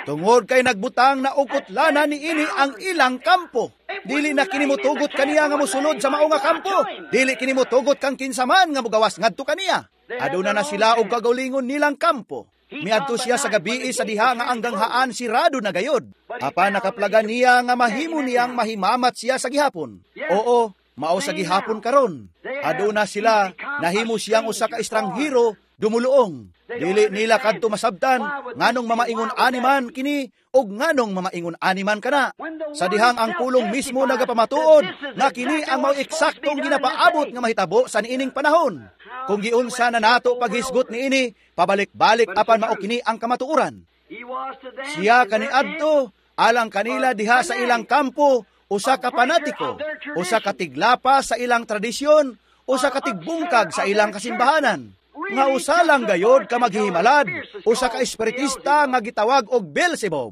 Tungod kay nagbutang na ukutlanan niini ang ilang kampo. Dili na kini motugot kaniya nga mosulod sa mao nga kampo. Dili kini motugot kang kinsa man nga mogawas ngadto kaniya. Aduna na sila og kagalingon nilang kampo. Miadto siya sa gabi sa diha nga ang ganghaan sirado na gayod. Apan nakaplagan niya nga mahimo niyang mahimamat siya sa gihapon. Oo, mao sa gihapon karon. Aduna sila, nahimo siyang usa ka estranghero dumuluong. Dili nila kadto masabtan nganong mamaingon ani man kini og nganong mamaingon ani man kana. Sa dihang ang pulong mismo nagapamatuod nga kini ang mao eksaktong ginapaabot nga mahitabo sa niining panahon. Kung giunsa na nato paghisgot niini, pabalik-balik apan mao kini ang kamatuoran. Siya kaniadto alang kanila diha sa ilang kampo, usa ka panatiko, usa ka tiglapa sa ilang tradisyon, usa ka tigbungkag sa ilang kasimbahanan. Nga usa lang gayod ka maghihimalad, usa ka espiritista nga gitawag og Beelzebub.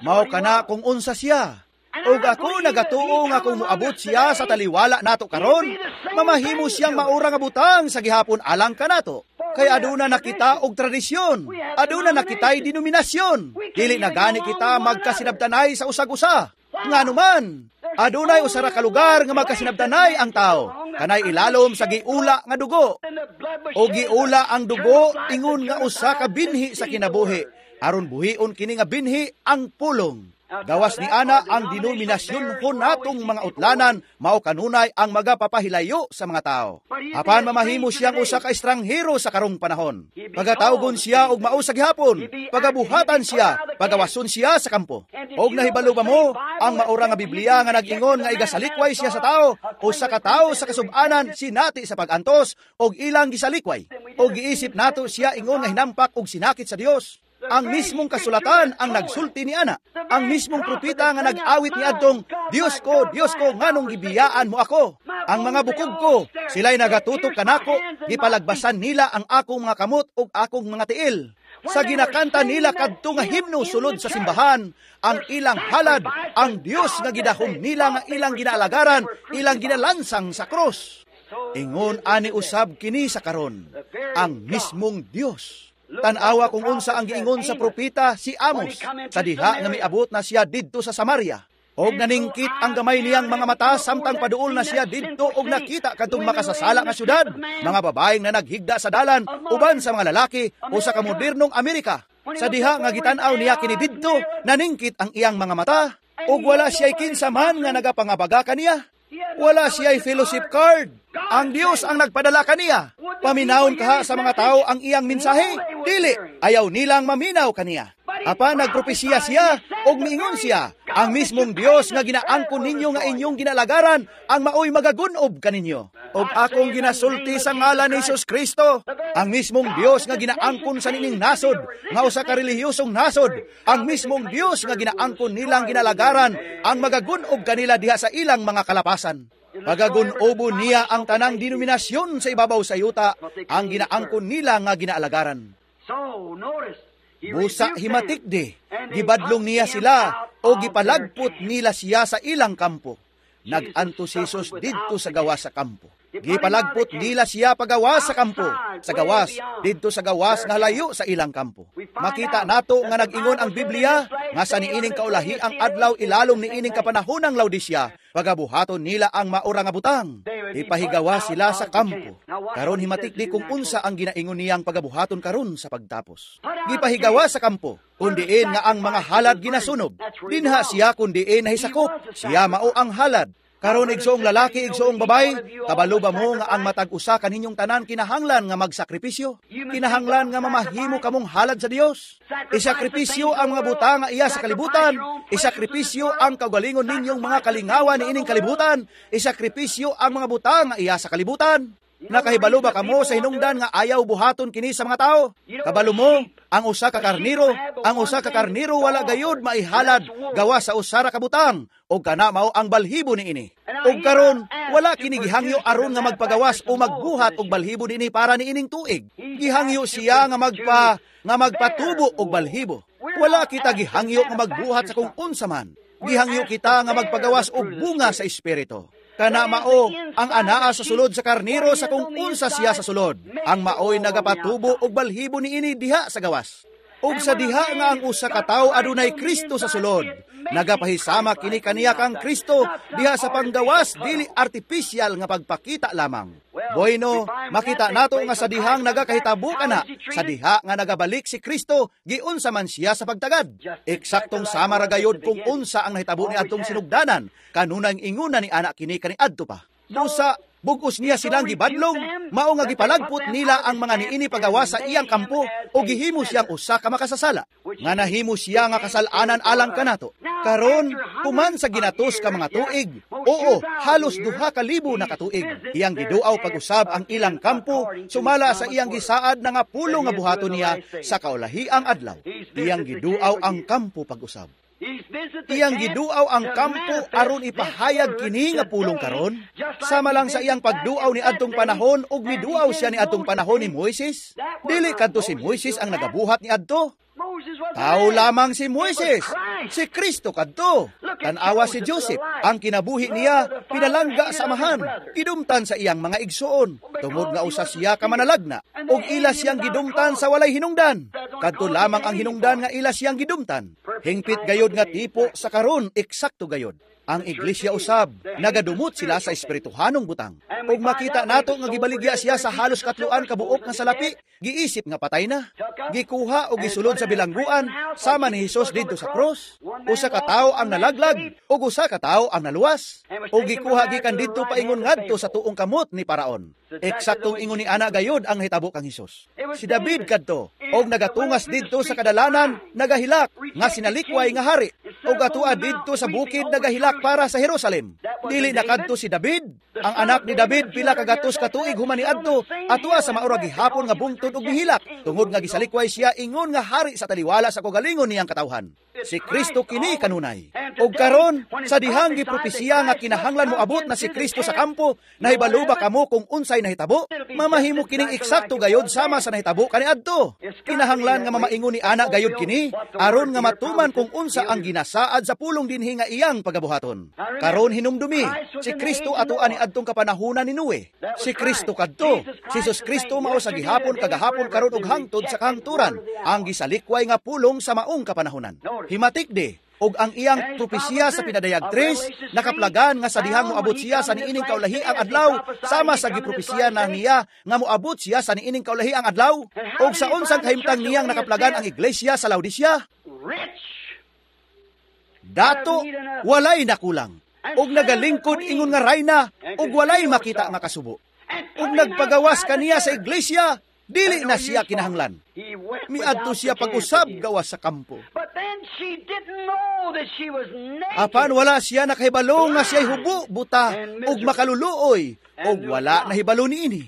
Mao kana kung unsa siya. Og ako nagatuo nga kung moabot siya sa taliwala nato karon, mamahimo siyang maura nga butang sa gihapon alang kanato. Kay aduna na kita og tradisyon, aduna na kita'y denominasyon. Dili na gani kita magkasinabtanay sa usag-usa. Ngano man, adunay usa ra ka lugar nga magkasinabtanay ang tao, kanay ilalom sa giula nga dugo. O giula ang dugo ingon nga usa ka binhi sa kinabuhi, aron buhion kini nga binhi ang pulong. Gawas ni ana ang denominasyon ho natong mga utlanan, mao kanunay ang magapapahilayo sa mga tao. Apan mamahimo siyang usa ka estranghero sa karong panahon. Pagatawgon siya og mao sa gihapon, pagabuhatan siya, pagawason siya sa kampo. Og nahibalo ba mo ang maura nga Biblia nga nag-ingon nga igasalikway siya sa tao, usa ka tawo sa kasub-anan sinati sa pag-antos og ilang gisalikway. Og giisip nato siya ingon nga hinampak og sinakit sa Dios. Ang mismong kasulatan ang nagsulti ni ana. Ang mismong propeta nga nag-awit ni adtong, Diyos ko, nganong gibiyaan mo ako? Ang mga bukog ko, sila'y nagatutok kanako, gipalagbasan nila ang akong mga kamot ug akong mga tiil. Sa ginakanta nila kadto nga himno sulod sa simbahan, ang ilang halad, ang Dios nga gidahom nila nga ilang ginaalagaran, ilang ginalansang sa krus. Ingon ani usab kini sa karon, ang mismong Dios. Tan-awa kung unsa ang giingon sa propeta si Amos sa diha nga miabot na siya didto sa Samaria. Og naningkit ang gamay niyang mga mata samtang paduol na siya didto og nakita kadtong makasasala nga syudad, mga babaeng na naghigda sa dalan uban sa mga lalaki usa ka modernong Amerika. Sa diha nga gitan-aw niya kini didto, naningkit ang iyang mga mata og wala siya'y kinsa man nga nagapangabaga kaniya. Wala siya'y fellowship card. Ang Dios ang nagpadala kaniya. Paminawon kaha sa mga tao ang iyang mensahe. Dili, ayaw nilang maminaw kaniya. Apan nagpropesiya siya og miingon siya, ang mismong Dios nga ginaangkon ninyo nga inyong ginalagaran ang maoy magagun-ob kaninyo. Og akong ginasulti sa ngalan ni Hesus Kristo, ang mismong Dios nga ginaangkon sa nining nasod, nga usa ka relihiyosong nasod, ang mismong Dios nga ginaangkon nilang ginalagaran ang magagun-ob kanila diha sa ilang mga kalapasan. Pagagun-obo niya ang tanang denominasyon sa ibabaw sa yuta, ang ginaangkon nila nga ginaalagaran. So, notice, Busa himatikdi, gibadlong niya sila o gipalagpot nila siya sa ilang kampo. Nag-anto si Jesus didto sa gawas sa kampo. Gipalagpot nila siya pagawas sa kampo, sa gawas, didto sa gawas nga layo sa ilang kampo. Makita nato nga nag-ingon ang Biblia nga sa niining kaulahi ang adlaw ilalom niining kapanahonang Laodicea, pagabuhaton nila ang maura nga butang. Ipahigawa sila sa kampo. Karon himatikdi kung unsa ang ginaingon niyang pagabuhaton karon sa pagtapos. Gipahigawa sa kampo, kundiin nga ang mga halad ginasunog. Dinha siya kundiin nahisakop, siya mao ang halad. Karon igsoong lalaki, igsoong babay, kabalo ba mo nga ang matag usa kaninyong tanan kinahanglan nga magsakripisyo? Kinahanglan nga mamahimo kamong halad sa Dios? Isakripisyo ang mga butang nga iya sa kalibutan. Isakripisyo ang kaugalingon ninyong mga kalingawan niining kalibutan. Isakripisyo ang mga butang nga iya sa kalibutan. Nakahibalo ba kamo sa hinungdan nga ayaw buhaton kini sa mga tao? Kabalo mo, ang usa ka karniro, ang usa ka karniro wala gayud maihalad gawa sa usa ra ka butang, og kana mao ang balhibo niini. Og karon wala kini gihangyo aron nga magpagawas o magbuhat og balhibo niini para niining tuig. Gihangyo siya nga magpatubo og balhibo. Wala kita gihangyo nga magbuhat sa kung unsa man. Gihangyo kita nga magpagawas og bunga sa espiritu. Kana mao ang anaa sa sulod sa karniro sa kung unsa siya sa sulod. Ang maoy nagapatubo og balhibo niini diha sa gawas. Ug sa diha nga ang usa ka tawo adunay Kristo sa sulod, nagapahisama kini kaniya kang Kristo diha sa panggawas, dili artificial nga pagpakita lamang. Bueno, makita nato nga sa dihang nagakahitabo kana, sa diha nga nagabalik si Kristo, giunsa man siya sa pagtagad. Eksaktong sama ra gayod kung unsa ang nahitabo ni adtong sinugdanan, kanunang inguna ni anak kini kaniadto pa. Busa bugos niya silang gibadlong, mao nga gipalagpot nila ang mga niini pagawa sa iyang kampo o gihimo siyang usa ka makasasala, nga nahimo siya nga kasal-anan alang kanato. Karon, human sa ginatos ka mga tuig, oo, halos 2,000 na katuig, iyang giduaw pag-usab ang ilang kampo, sumala sa iyang gisaad na nga pulo nga buhaton niya sa kaulahiang adlaw. Iyang giduaw ang kampo pag-usab. Iyang giduaw ang kampo aron ipahayag kini nga pulong karon, sama lang sa iyang pagduaw ni adtong panahon ug miduaw siya ni adtong panahon ni Moises. Dili kadto si Moises ang nagabuhat ni adto. Tao lamang si Moises, si Kristo kadto. Tan-awa si Joseph, ang kinabuhi niya pinalangga sa amahan, gidumtan sa iyang mga igsoon, tungod nga usa siya ka manalagna, ug ila siyang gidumtan sa walay hinungdan. Kadto lamang ang hinungdan nga ila siyang gidumtan. Hingpit gayod nga tipo sa karon, eksakto gayod. Ang iglesia usab, nagadumot sila sa espirituhanong butang. Ug makita nato nga gibaligya siya sa halos 3 ka buok nga salapi, giisip nga patay na. Gikuha og gisulod sa bilangguan, sama ni Hesus didto sa krus. Usa ka tawo ang nalaglag, ug usa ka tawo ang naluwas. Ug gikuha gikan didto paingon ngadto sa tuong kamot ni Paraon. Eksaktong ingon ni ana gayod ang nahitabo kang Hesus. Si David kadto, og nagatungas didto sa kadalanan, nagahilak nga sinalikway nga hari. Og atua didto sa bukid nagahilak para sa Jerusalem. Dili na kadto si David, ang anak ni David pila ka gatos ka tuig human niadto, atua sa maura gihapon nga bungtod og mihilak, tungod nga gisalikway siya ingon nga hari sa taliwala sa kagalingon niyang katawhan. Si Kristo kini kanunay. Og karon sa dihang gipropesiya nga kinahanglan moabot na si Kristo sa kampo, nahibalo ba kamo kung unsay nahitabo? Mamahimo kining eksakto gayod sama sa nahitabo kaniadto. Kinahanglan nga mamaingon ni ana gayod kini aron nga matuman kung unsa ang ginasaad sa pulong dinhi nga iyang pagabuhaton. Karon hinumdumi, si Kristo atoa ni adtong kapanahunan ni Noe. Si Kristo kadto, si Jesus Kristo mao sa gihapon kagahapon karon ug hangtod sa kahangturan, ang gisalikway nga pulong sa maong kapanahunan. Himatikdi, og ang iyang propesiya sa pinadayag 3, nakaplagan nga sa dihang moabot siya sa niining kaulahi ang adlaw, sama sa gipropesiya na niya nga moabot siya sa niining kaulahi ang adlaw, og sa unsang kahimtang niyang nakaplagan ang iglesia sa Laodicea. Dato, walay nakulang, og nagalingkod ingon nga rayna, og walay makita nga kasubo. Og nagpagawas kaniya sa iglesia, dili na siya kinahanglan. Miadto siya pag-usab gawas sa kampo. Apan wala siya nakahibalo nga siya'y hubo, buta, ug makaluluoy, ug wala nahibalo niini.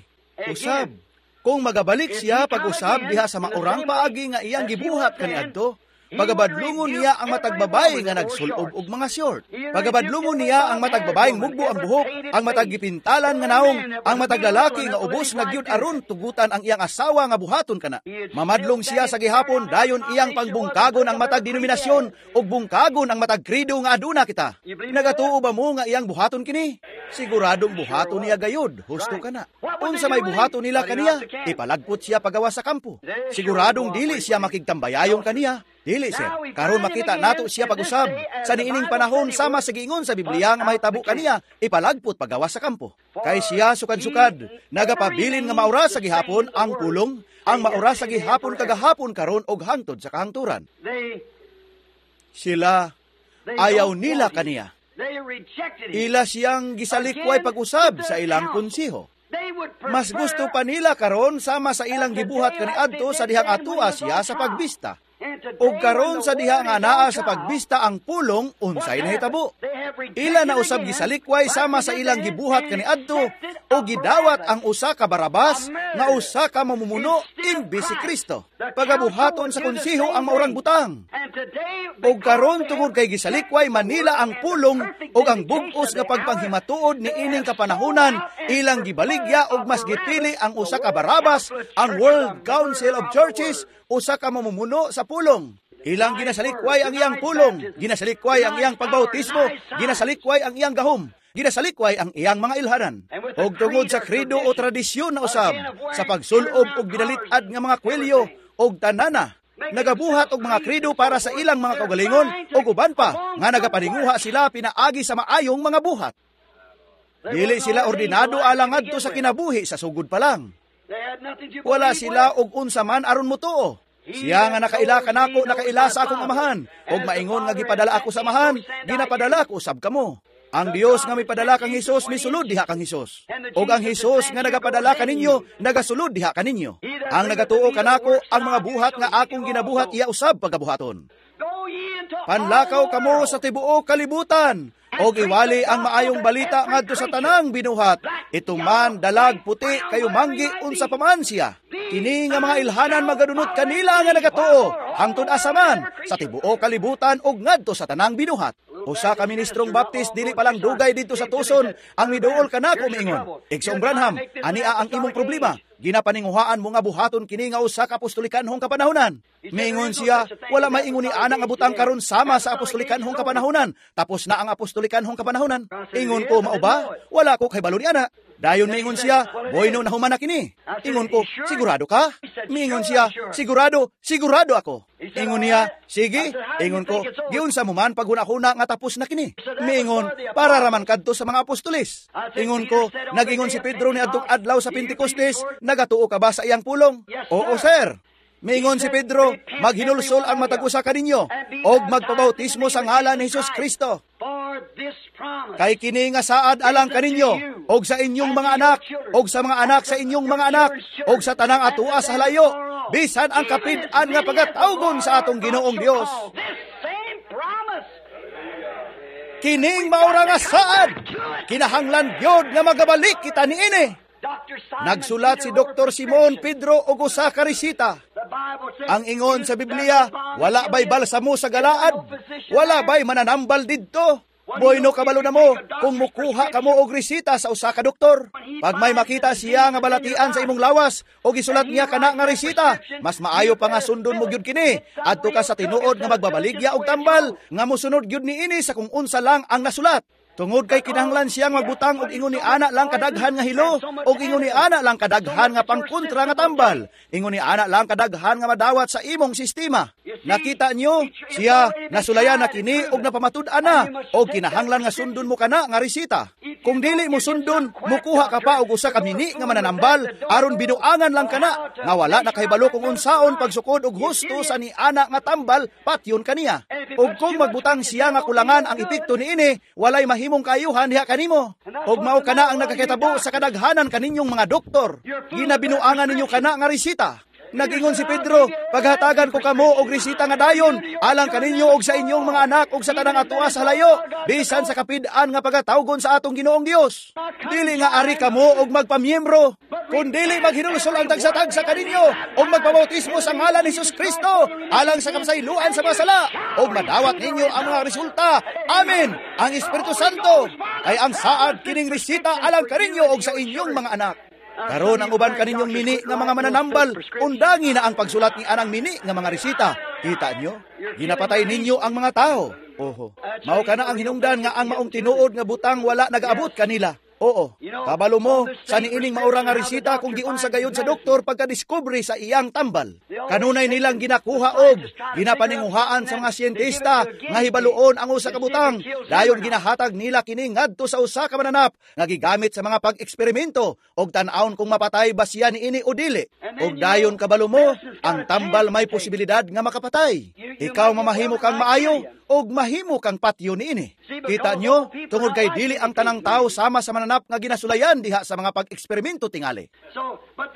Usab, kung magabalik siya pag-usab diha sa maurang paagi nga iyang gibuhat kaniadto, Pagabadlungon niya ang matag babaye nga nagsulob og mga short. Pagabadlungon niya ang matag babayeng mugbo ang buhok, ang matag gipintalan nga naong, ang matag lalaki nga ubos na gyud aron tugutan ang iyang asawa nga buhaton kana. Mamadlong siya sa gihapon dayon iyang pangbungkagon ang matag denominasyon ug bungkagon ang matag credo nga aduna kita. Nagatuo ba mo nga iyang buhaton kini? Siguradong buhaton niya gayud, husto kana. Unsa may buhaton nila kaniya? Ipalagpot siya pagawas sa kampo. Siguradong dili siya makigtambayayong kaniya. Dili, sir. Karon makita nato siya pag-usab sa niining panahon sama sa giingon sa Biblia nga mahitabo kaniya, ipalagpot pagawas sa kampo. Kay siya sukad-sukad, nagapabilin nga maura sa gihapon ang pulong, ang maura sa gihapon kagahapon karon og hangtod sa kahangturan. Sila ayaw nila kaniya. Ila siyang gisalikway pag-usab sa ilang konseho. Mas gusto pa nila karon sama sa ilang gibuhat kaniadto sa dihang atua siya sa pagbista. Ug karon sa diha nga naa sa pagbista ang pulong, unsay nahitabo? Ila na usab gisalikway sama sa ilang gibuhat kaniadto o gidawat ang usa ka Barabas nga usa ka mamumuno imbes si Kristo. Pagabuhaton sa konseho ang maurang butang. Ug karon tungod kay gisalikway manila ang pulong ug ang bug-os nga pagpanghimatuod niining kapanahonan, ilang gibaligya og mas gipili ang usa ka Barabas, ang World Council of Churches, usa ka mamumuno sa pulong. Ilang ginasalikway ang iyang pulong, ginasalikway ang iyang pagbautismo, ginasalikway ang iyang gahom, ginasalikway ang iyang mga ilhanan. Og tungod sa credo o tradisyon na usab, sa pagsulob og binalit-ad nga mga kwelyo og tanana, nagabuhat og mga credo para sa ilang mga kaugalingon og uban pa nga nagapaninguha sila pinaagi sa maayong mga buhat. Dili sila ordinado alang ngadto sa kinabuhi sa sugod pa lang. Wala sila og unsa man aron motuo. Siya nga nakaila kanako, nakaila sa akong amahan, og maingon nga gipadala ako sa amahan, ginapadala ko usab kamo. Ang Dios nga mipadala kang Hesus, misulod diha kang Hesus. Og ang Hesus nga nagapadala kaninyo, nagasulod diha kaninyo. Ang nagatuo kanako, ang mga buhat nga akong ginabuhat iya usab pagabuhaton. Panlakaw kamo sa tibuok kalibutan, og iwali ang maayong balita ngadto sa tanang binuhat. Ito man dalag puti kayo manggi unsa pa man siya. Kini nga mga ilhanan magadunot kanila nga nagatuo hangtod asa man sa tibuok kalibutan og ngadto sa tanang binuhat. Usa ka ministrong Baptist dili pa lang dugay didto sa Tucson ang miduol kanako miingon, "Igsoong Branham, ania ang imong problema? Ginapaninguhaan mo nga buhaton kini nga usa ka apostolikanhong kapanahonan." Miingon siya, "Wala may ingon ni ana nga butang karon sama sa apostolikanhong kapanahonan. Tapos na ang apostolikanhong kapanahonan." Ingon ko, "Mao ba? Wala ko kahibalo ni ana." Dayon miingon siya, "Boyno na human na kini." Ingon ko, "Sigurado ka?" Miingon siya, "Sigurado, sigurado ako." Ingon niya, "Sige." Ingon ko, "Giunsa mo man paghuna-huna nga tapos na kini?" Miingon, "Para raman kadto sa mga apostoles." Ingon ko, "Nag-ingon si Pedro ni adtong adlaw sa Pentecostes, nagatuo ka ba sa iyang pulong?" "Oo, sir." Miingon si Pedro, "Maghinulsol ang matag usa kaninyo og magpabautismo sa ngalan ni Hesus Kristo. Kay kini nga saad alang kaninyo og sa inyong mga anak og sa mga anak sa inyong mga anak og sa tanang atua sa halayo, bisan ang kapid-an nga pagatawgon sa atong Ginoong Dios." Kining maura nga saad, kinahanglan gyud nga magabalik kita niini. Nagsulat si Dr. Simon Pedro og usa ka resita. Ang ingon sa Biblia, wala bay balsamo sa Galaad? Wala bay mananambal didto? Boyno kabalo na mo kung mukuha kamo og resita sa usa ka doktor. Pag may makita siya nga balatian sa imong lawas o gisulat niya kana nga resita, mas maayo pa nga sundon mo gyud kini. Adto ka sa tinuod nga magbabaligya og tambal nga mosunod gyud niini sa kung unsa lang ang nasulat. Tungod kay kinahanglan siyang magbutang og ingon ni ana lang kadaghan nga hilo, og ingon ni ana lang kadaghan nga pangkontra nga tambal, ingon ni ana lang kadaghan nga madawat sa imong sistema. Nakita niyo, siya nasulayan na kini og napamatud-an na, og kinahanglan nga sundon mo kana nga resita. Kung dili mo sundon, mukuha ka pa og usa ka mini nga mananambal aron binuangan lang kana nga wala na kahibalo kung unsaon pagsukod og husto sa ni ana nga tambal patyon kaniya. Og kung magbutang siya nga kulangan ang epekto niini, walay mahimong kaayuhan diha kanimo. Og mao kana ang nagakitabo sa kadaghanan kaninyong mga doktor. Ginabinuangan ninyo kana nga resita. Nagingon si Pedro, paghatagan ko kamo og resita nga dayon, alang kaninyo og sa inyong mga anak og sa tanang atua sa layo, bisan sa kapid-an nga pagatawgon sa atong Ginoong Dios. Dili nga ari kamo og magpamiyembro, kun dili maghinulsol ang tagsa-tagsa kaninyo og magpabautismo sa ngalan ni Jesus Kristo alang sa kapasayloan sa mga sala, og madawat ninyo ang mga resulta. Amen. Ang Espiritu Santo ay ang saad kining resita alang kaninyo og sa inyong mga anak. Karon ang uban kaninyong mini nga mga mananambal, undangi na ang pagsulat ni anang mini nga mga resita. Kita nyo? Ginapatay ninyo ang mga tao. Oho. Mao kana ang hinungdan nga ang maong tinuod nga butang wala nagaabot kanila. Oo. Kabalo mo sa niining maura nga resita kung giunsa gayud sa doktor pagkadiskubre sa iyang tambal. Kanunay nilang ginakuha og ginapaninguhaan sa mga siyentista nga hibaluon ang usa ka butang. Dayon ginahatag nila kini ngadto sa usa ka mananap nga gigamit sa mga pag-eksperimento og tan-awon kung mapatay ba siya niini o dili. Og dayon kabalo mo, ang tambal may posibilidad nga makapatay. Ikaw mamahimo kang maayo og mahimo kang patyo niini. Kita nyo, tungod kay dili ang tanang tao sama sa mananap nga ginasulayan diha sa mga pag-eksperimento tingali.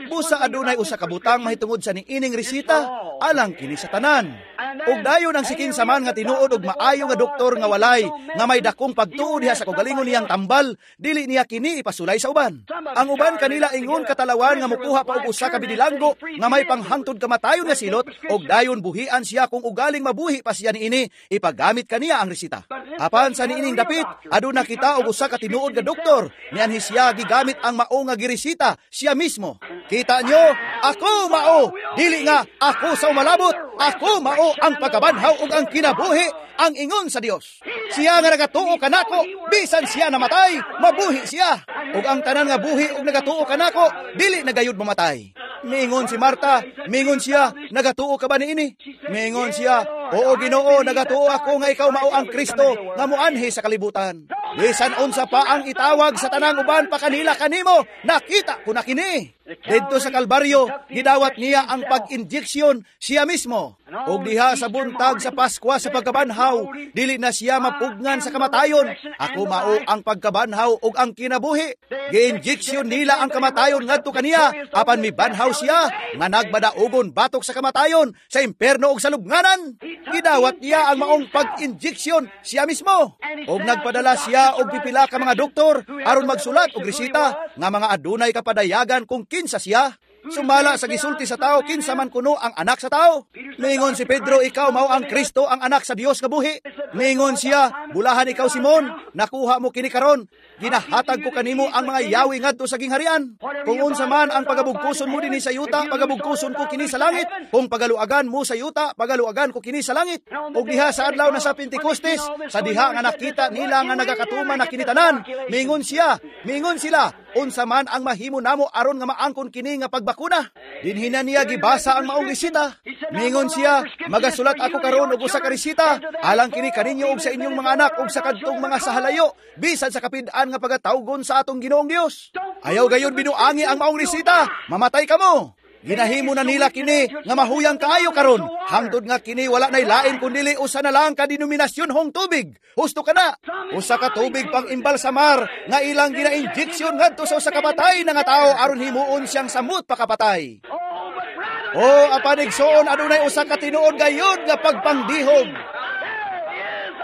Busa adunay usa ka butang mahitungod sa niining resita, alang kini sa tanan. Og dayon ang sikin saman nga tinuod og maayo nga doktor nga walay nga may dakong pagtuo diha sa kaugalingon niyang tambal, dili niya kini ipasulay sa uban. Ang uban kanila ingon katalawan nga mukuha pa og usa ka bidilanggo nga may panghangtod kamatayon nga silot, og dayon buhian siya kung ugaling mabuhi pa siya niini, ipagamit kaniya ang resita. Apan sa niining dapit, aduna kita og usa ka tinuod nga doktor, nianhi siya gigamit ang mao nga giresita siya mismo. Kita nyo, ako mao, dili nga ako sa umalabot, ako mao ang pagkabanhaw ug ang kinabuhi, ang ingon sa Dios. Siya nga nagatuo kanako, bisan siya namatay, mabuhi siya. Ug ang tanan nga buhi ug nagatuo kanako, dili na gayud mamatay. Miingon si Marta, miingon siya, nagatuo ka ba niini? Miingon siya, oo Ginoo, nagatuo ako nga ikaw mao ang Kristo nga moanhi sa kalibutan. Bisan unsa pa ang itawag sa tanang uban pa kanila kanimo, nakita ko na kini. Didto sa Kalbaryo, gidawat niya ang pag-injeksyon siya mismo. Og diha sa buntag sa Paskwa sa pagkabanhaw, dili na siya mapugnan sa kamatayon. Ako mao ang pagkabanhaw ug ang kinabuhi. Gi-injeksyon nila ang kamatayon ngadto kaniya, apan mibanhaw siya nga nagbadaugon batok sa kamatayon, sa imperno ug sa lubnganan. Gidawat niya ang maong pag-injeksyon siya mismo. Og nagpadala siya og pipila ka mga doktor aron magsulat og resita nga mga adunay kapadayagan kung kinsa siya. Sumala sa gisulti sa tao, kinsa man kuno ang anak sa tao. Miingon si Pedro, ikaw mao ang Kristo, ang anak sa Dios nga buhi. Miingon siya, bulahan ikaw Simon, nakuha mo kini karon. Ginahatag ko kanimo ang mga yawi ngadto sa gingharian. Kung unsa man ang pagabugkuson mo dinhi sa yuta, pagabugkuson ko kini sa langit. Kung pagaluagan mo sa yuta, pagaluagan ko kini sa langit. Og diha sa adlaw na sa Pentecostes, sa diha nga nakita nila nga nagakatuman na kini tanan, miingon siya, miingon sila, unsa man ang mahimo namo aron nga maangkon kini nga pagbakuna. Dinhi na niya gibasa ang maong resita. Miingon siya, magasulat ako karon og usa ka resita, alang kini kaninyo og sa inyong mga anak og sa kadtong mga sahalayo, bisan sa kapid-an nga pagatawgon sa atong Ginoong Dios. Ayaw gayon binuangi ang maong resita, mamatay kamo. Ginahimo na nila kini nga mahuyang kaayo karon, hangtod nga kini wala nay lain kundili usa na lang ka denominasyon hong tubig. Husto ka na. Usa ka tubig pang imbalsamar nga ilang gina-injeksyon ngadto sa usa ka patay na nga tawo aron himuon siyang samot pakapatay. O apan igsoon, adunay usa ka tinuod gayud nga pagpangdihog.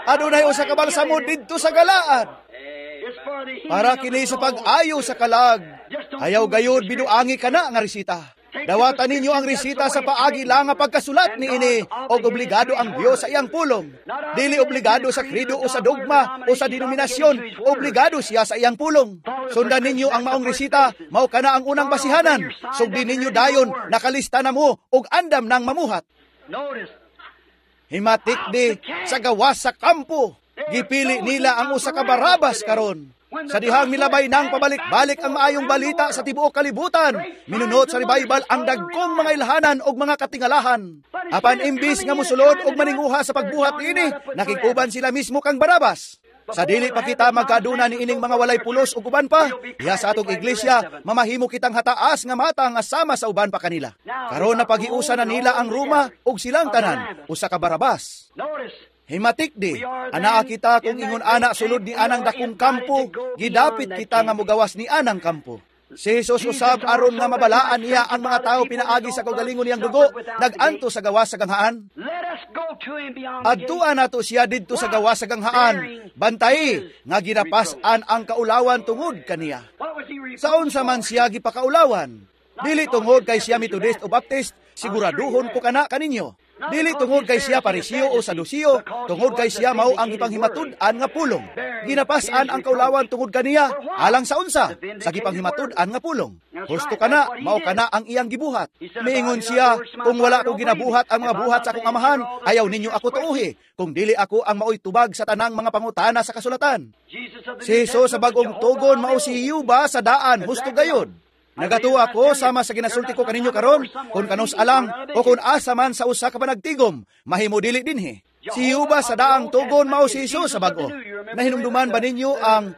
Adunay usa ka balsamo didto sa Galaad. Para kini sa pag-ayo sa kalag. Ayaw gayud binuangi kana nga resita. Dawatan ninyo ang resita sa paagi lang nga pagkasulat niini, og obligado ang Dios sa iyang pulong. Dili obligado sa credo o sa dogma o sa denominasyon, obligado siya sa iyang pulong. Sundan ninyo ang maong resita, mao kana ang unang basihanan. Sugdi ninyo dayon, nakalista na mo og andam nang mamuhat. Himatik di sa gawas sa kampo, gipili nila ang usa ka Barabas karon. Sa dihang milabay nang pabalik-balik ang maayong balita sa tibuok kalibutan, minunot sa revival ang dagkong mga ilhanan og mga katingalahan. Apan imbis nga musulod og maninguha sa pagbuhat niini, nakikuban sila mismo kang Barabas. Sa dili pa kita magkaduna niining mga walay pulos ug uban pa, diha sa atong iglesia, mamahimo kitang hataas nga mata nga sama sa uban pa kanila. Karon na paghiusa na nila ang Roma ug silang tanan, usa ka Barabas. Himatik di, anaa kita kung ingon ana sulod ni anang dakong kampo, gidapit kita nga mugawas ni anang kampo. Si Jesus usab aron nga mabalaan niya ang mga tao pinaagi sa kaugalingon niyang dugo, nag-anto sa gawas sa ganghaan. Adtuan nato siya didto sa gawas sa ganghaan. Bantay nga ginapas-an ang kaulawan tungod kaniya. Sa unsa man siya gipakaulawan? Dili tungod kay siya Methodist o Baptist, siguraduhon ko kana kaninyo. Dili tungod kay siya Parisiyo o Sadusiyo, tungod kay siya mao ang gipanghimatud-an nga pulong. Ginapas-an ang kaulawan tungod kaniya, alang sa unsa, sa gipanghimatud-an nga pulong. Husto kana, mao kana ang iyang gibuhat. Miingon siya, kung wala ko ginabuhat ang mga buhat sa akong amahan, ayaw ninyo ako tuuhi, kung dili ako ang maoy tubag sa tanang mga pangutana sa kasulatan. Si Jesus sa bag-ong tugon mao si Yuba sa daan, husto gayod. Nagatuwa ko sama sa ginasulti ko kaninyo karon, kung kanus alang o kung asa man sa usa ka panagtigom, mahimo dili dinhi. Si Yuba sa daang tugon mao si Jesus sa bag-o. Nahinumduman ba ninyo ang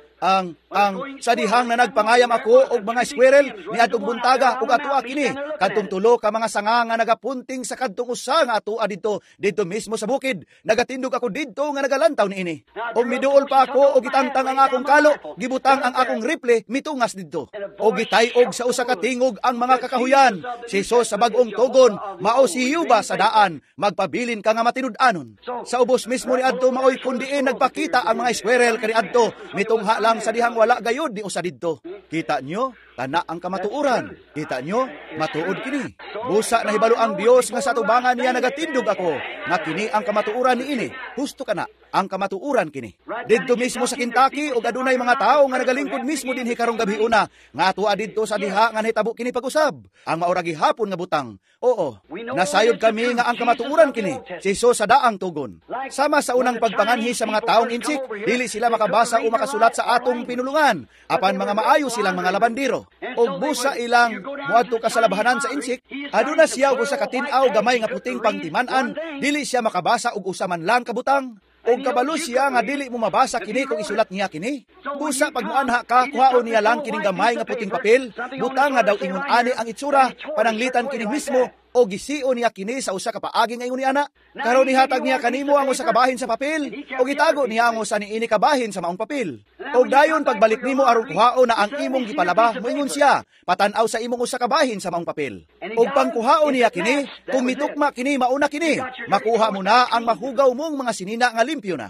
sa dihang na nagpangayam ako og mga squirrel niadtong buntaga ug atua kini kadtong tulo ka mga sanga nga nagapunting sa kadtong usa nga atua didto didto mismo sa bukid? Nagatindog ako didto nga nagalantaw niini. Og miduol pa ako og gitangtang ang akong kalo, gibutang ang akong rifle mitungas didto. Og gitay-og sa usa ka tingog ang mga kakahuyan. Si Jesus sa bag-ong tugon mao si Yuba sa daan, magpabilin ka nga matinud-anon. Sa ubos mismo niadto maoy kundiin nagpakita ang mga squirrel kaniadto, mitungha lang sa dihang wala gayod ni usa didto. Kita nyo, kana ang kamatuoran. Kita nyo, matuod kini. Busa nahibalo ang Dios nga sa tubangan niya nagatindog ako, nga kini ang kamatuoran niini. Husto kana ang kamatuoran kini. Didto mismo sa Kentucky og adunay mga tawo nga nagalingkod mismo dinhi karong gabi una, nga atua didto sa diha nga nahitabo kini pag-usab. Ang maura gihapon nga butang. Oo, nasayod kami nga ang kamatuoran kini. Si Jesus sa daang tugon. Sama sa unang pagpanganhi sa mga taong insik, dili sila makabasa o makasulat sa atong pinulungan, apan mga maayo silang mga labandero. Og busa ilang moadto ka sa labahanan sa insik, aduna siya og usa ka tin-aw gamay nga puting pangtiman-an, dili siya makabasa og usa man lang kabutang. Og kabalo siya nga dili mo mabasa kini kung isulat niya kini. Busa pag muanha ka, kuhaon niya lang kining gamay nga puting papel, butang nga daw ingon ani ang itsura, pananglitan kini mismo, o gisio niya kini sa usa ka paagi nga ingon ni ana. Karon nihatag niya kanimo ang usa ka bahin sa papel, o gitago niya ang usa niini ka bahin sa maong papel. Og dayon pagbalik nimo aron kuhaon na ang imong gipalaba, moingon siya, patan-aw sa imong usa ka bahin sa maong papel. Og pangkuhaon niya kini, kung mitukma kini mauna kini, makuha mo na ang mahugaw mong mga sinina nga limpyo na.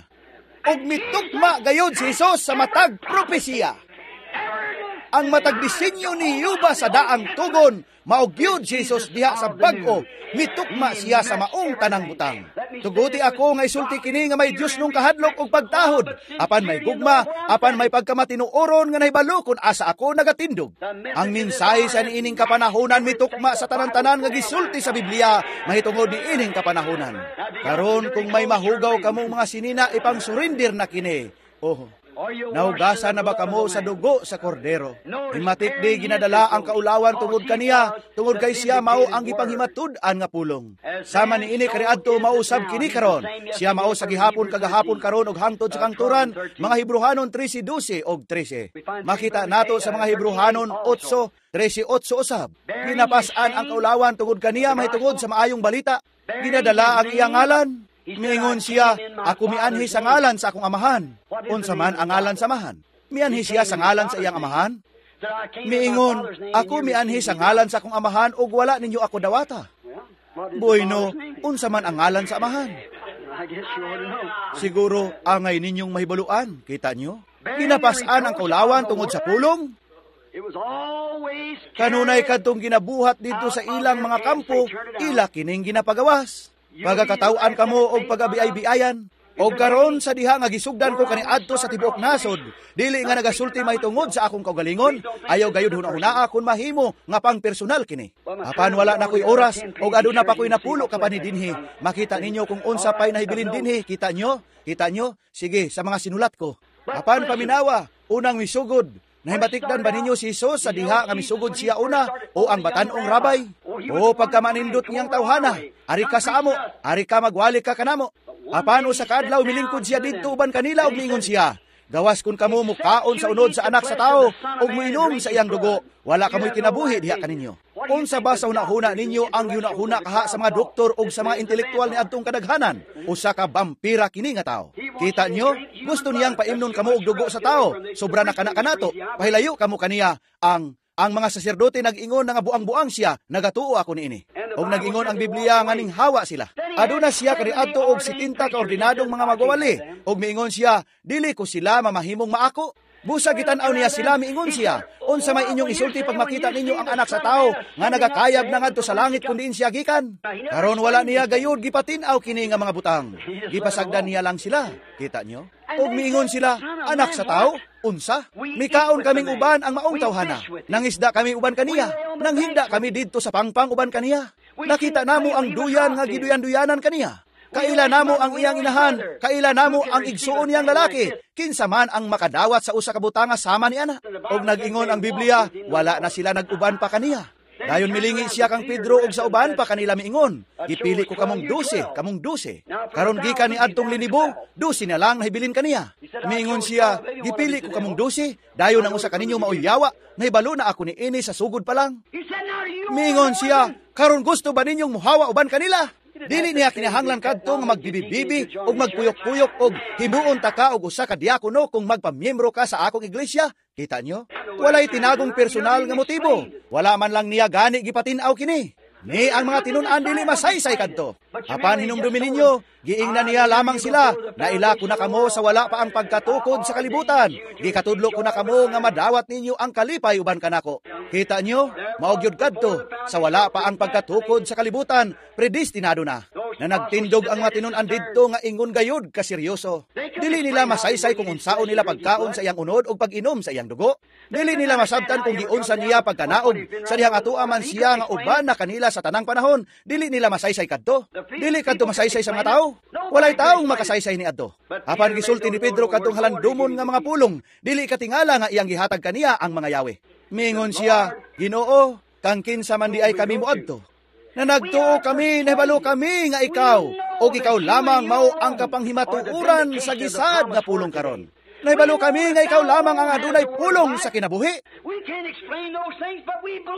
Og mitukma gayod si Jesus sa matag propesiya. Ang matag disenyo ni Yuba sa daang tugon, mao gyud si Jesus diha sa bag-o, mitukma siya sa maong tanang butang. Tuguti ako nga isulti kini nga may Dios nung kahadlok og pagtahod, apan may gugma, apan may pagkamatinuoron nga nahibalo kun asa ako nagatindog. Ang mensahe sa niining kapanahonan mitukma sa tanan-tanan nga gisulti sa Biblia mahitungod niining kapanahonan. Karon kung may mahugaw kamong mga sinina, ipang surrender na kini. Oh, naugasan na ba kamo sa dugo sa kordero? Himatik di ginadala ang kaulawan tungod kaniya, tungod kay siya mao ang gipanghimatud-an nga pulong. Sama niini kaniadto mausab kini karon. Siya mao sa gihapon kagahapon karon og hangtod sa kangturan, mga Hebreohanon 13:12 og 13. Makita nato sa mga Hebreohanon 8:13-8 usab. Ginapas-an ang kaulawan tungod kaniya mahitungod sa maayong balita. Ginadala ang iyang ngalan. Miingon siya, ako mianhi sa ngalan sa akong amahan. Unsa man ang ngalan sa amahan? Mianhi siya sa ngalan sa iyang amahan? Miingon, ako mianhi sa ngalan sa akong amahan ug wala ninyo ako dawata. Bueno, unsa man ang ngalan sa amahan? Siguro angay ninyong mahibaluan, kita nyo? Ginapas-an ang kaulawan tungod sa pulong? Kanunay kadtong ginabuhat dito sa ilang mga kampo, ila kining ginapagawas. Pagakataw-an kamo og pagabiay-biayan. Og karon sa diha nga gisugdan ko kaniadto sa tibuok nasod, dili nga nagasulti mahitungod sa akong kaugalingon, ayaw gayud huna-hunaa kun mahimo nga pang personal kini. Apan wala na ko'y oras og aduna pa ko'y napulo ka pa ni dinhi. Makita ninyo kung unsa pay nahibilin dinhi, kita nyo? Kita nyo? Sige, sa mga sinulat ko. Apan paminawa, unang misugod. Nahimatikdan ba ninyo si Jesus sa diha nga misugod siya una o ang batan-ong rabay? O pagkamanindot niyang tawhana, ari ka sa amo, ari ka magwali ka kanamo. Apan usa ka adlaw milingkod siya didto uban kanila ug miingon siya, gawas kun kamo mukaon sa unod sa anak sa tawo ug moinom sa iyang dugo, wala kamoy kinabuhi diha kaninyo. Unsa ba sa hunahuna ninyo ang gihunahuna kaha sa mga doktor ug sa mga intelektual ni adtong kadaghanan? Usa ka vampira kini nga tawo. Kita nyo, gusto niyang paimnon kamo og dugo sa tawo. Sobra na kana kanato. Pahilayo kamo kaniya ang Ang mga saserdote nag-ingon nga buang-buang siya, nagatuo ako niini. Og nag-ingon ang Biblia nga ning hawa sila. Aduna siya kaniadto og 70 ka ordinadong mga magwawali. Og miingon siya, dili ko sila mamahimong maako. Busa gitan-aw niya sila, miingon siya, unsa may inyong isulti pag makita ninyo ang anak sa tao nga nagakayab na ngadto sa langit kun diin siya gikan? Karon wala niya gayud gipatin-aw kini nga mga butang. Gipasagdan niya lang sila. Kita nyo? Og miingon sila, anak sa tao, unsa? Mikaon kaming uban ang maong tawhana. Nangisda kami uban kaniya. Nanghigda kami didto sa pangpang uban kaniya. Nakita namo ang duyan nga giduyan-duyanan kaniya. Kaila namo ang iyang inahan, kaila namo ang igsuon niyang lalaki. Kinsa man ang makadawat sa usa ka butanga sama ni ana. Og nag-ingon ang Biblia, wala na sila nag-uban pa kaniya. Dayon milingi siya kang Pedro og sa uban pa kanila miingon, gipili ko kamong 12, kamong 12. Karon gikan ni adtong linibo, 12 na lang nahibilin kaniya. Miingon siya, gipili ko kamong 12, dayon ang usa kaninyo maoy yawa, nahibalo na ako niini sa sugod pa lang. Miingon siya, karon gusto ba ninyong muhawa uban kanila? Dili niya kinahanglan kadto nga magbibibibi og magpuyok-puyok og himuon ta ka og usa ka diakono kung magpamiyembro ka sa akong iglesia. Kita nyo? Walay tinagong personal nga motibo. Wala man lang niya gani gipatin-aw kini. Ni ang mga tinun-an dili masaysay kadto. Apan hinumdumi ninyo, giingnan niya lamang sila, naila ko na kamo sa wala pa ang pagkatukod sa kalibutan. Gikatudlo ko na kamo nga madawat ninyo ang kalipay uban kanako. Kita nyo, mao gyud kadto, sa wala pa ang pagkatukod sa kalibutan, predestinado na. Na nagtindog ang mga tinun-an didto nga ingon gayud ka seryoso. Dili nila masaysay kung unsaon nila pagkaon sa iyang unod o pag-inom sa iyang dugo. Dili nila masabtan kung giunsa niya pagkanaog sa dihang atoa man siya nga uban na kanila sa tanang panahon. Dili nila masaysay kadto. Dili kadto masaysay sa mga tao. Walay taong makasaysay ni adto. Apan gisulti ni Pedro kadtong halandumon nga mga pulong, dili katingala nga iyang gihatag kaniya ang mga yawe. Mingon siya, Ginoo, kang kinsa man di ay kami moadto. Na nagtuo kami, nahibalo kami nga ikaw, o ikaw lamang mao ang kapanghimatuoran sa gisad nga pulong karon. Nahibalo kami nga ikaw lamang ang adunay pulong sa kinabuhi.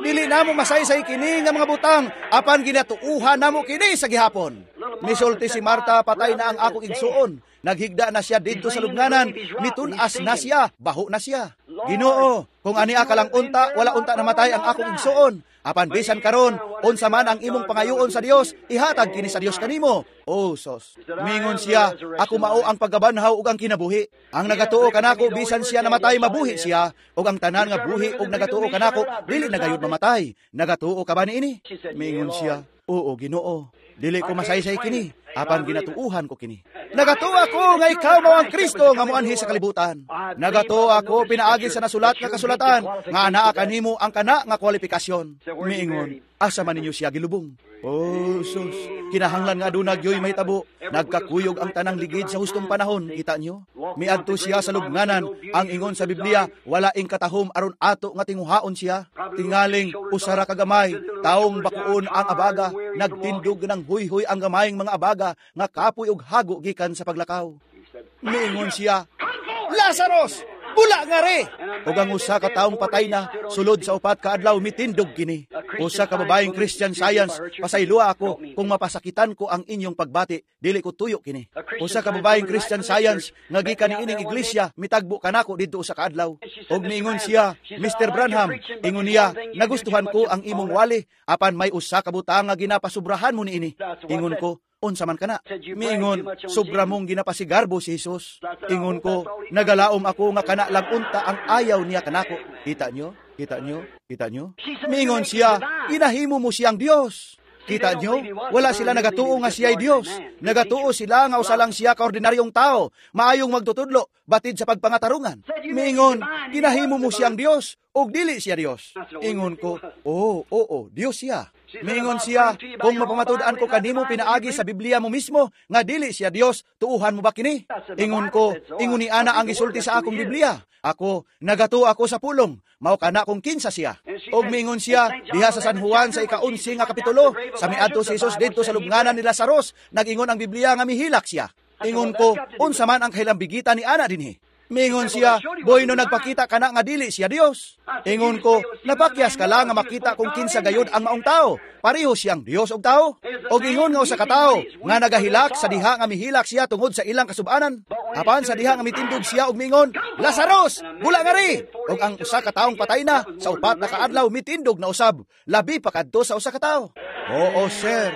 Dili namo masaysay kini nga mga butang, apan ginatuuhan namo kini sa gihapon. Misulti si Marta, patay na ang akong igsuon. Naghigda na siya didto sa lubnganan, mitun-as na siya, baho na siya. Ginoo, kung ania ka lang unta, wala unta namatay ang akong igsuon. Apan bisan karon, unsa man ang imong pangayoon sa Dios, ihatag kini sa Dios kanimo. O sos. Mingon siya, ako mao ang pagkabanhaw ug ang kinabuhi. Ang nagatuo kanako bisan siya namatay, mabuhi siya, ug ang tanan nga buhi ug nagatuo kanako dili na gayud mamatay. Nagatuo ka ba niini? Mingon siya, oo Ginoo. Dili ko masaysay kini, apan ginatuuhan ko kini. Nagatuo ako nga ikaw mao ang Kristo nga moanhi sa kalibutan. Nagatuo ako pinaagi sa nasulat nga kasulatan nga anaa kanimo ang kana nga kwalifikasyon. Miingon, asa man ninyo siya gilubong? Oh, sus, kinahanglan nga aduna gyoy mahitabo. Nagkakuyog ang tanang ligid sa hustong panahon, kita nyo? Miadto siya sa lubnganan, ang ingon sa Biblia, wala ing katahom aron ato nga tinguhaon siya. Tingaling usara ka gamay, taong bakuon ang abaga, nagtindog ng huyhoy ang gamayng mga abaga, nga kapoy og hago gikan sa paglakaw. Miingon siya, Lazarus! Bula nga re! Ug ang usa ka taong patay na, sulod sa 4 ka adlaw mitindog kini. Usa ka babaeng Christian Science, pasayloa ako kung mapasakitan ko ang inyong pagbati, dili ko tuyo kini. Usa ka babaeng Christian Science nga gikan niining iglesia, mitagbo kanako didto usa ka adlaw. Ug niingon siya, Mr. Branham, ingon niya, nagustuhan ko ang imong wali, apan may usa ka butang nga ginapasubrahan mo niini. Ingon ko, unsa man kana? Miingon, sobra mong ginapasigarbo si Jesus. Ingon ko, nagalaom ako nga kana lang unta ang ayaw niya kanako. Kita nyo? Kita nyo? Kita nyo? Miingon siya, ginahimo mo siyang Dios. Kita nyo? Wala sila nagatuo nga siya'y Dios. Nagatuo sila nga usa lang siya kaordinaryong tao, maayong magtutudlo, batid sa pagpangatarungan. Miingon, ginahimo mo siyang Dios, ug dili siya Dios. Ingon ko, oo, oo, Dios siya. Miingon siya, kung mapamatud-an ko kanimo pinaagi sa Biblia mo mismo, nga dili siya Dios, tuuhan mo ba kini? Ingon ko, ingon ni ana ang gisulti sa akong Biblia. Ako, nagatuo ako sa pulong, mao kana kung kinsa siya. Og miingon siya, diha sa San Juan sa ika-11 nga kapitulo, sa miadto si Jesus didto sa lubnganan ni Lazarus, nag-ingon ang Biblia nga mihilak siya. Ingon ko, unsa man ang kahilambigitan ni ana dinhi? Mingon siya, "Boy, no nagpakita kana nga dili siya Dios." Ingon ko, "Napakyas ka lang nga makita kung kinsa gayud ang maong tao. Pareho siyang Dios og tao." Og ingon nga usa ka tawo nga nagahilak sa diha nga mihilak siya tungod sa ilang kasubanan. Apan sa diha nga mitindog siya og mingon, "Lazarus, bula ngari!" Og ang usa ka taong patay na sa 4 na kaadlaw mitindog na usab, labi pa kadto sa usa ka tawo. Oo, sir.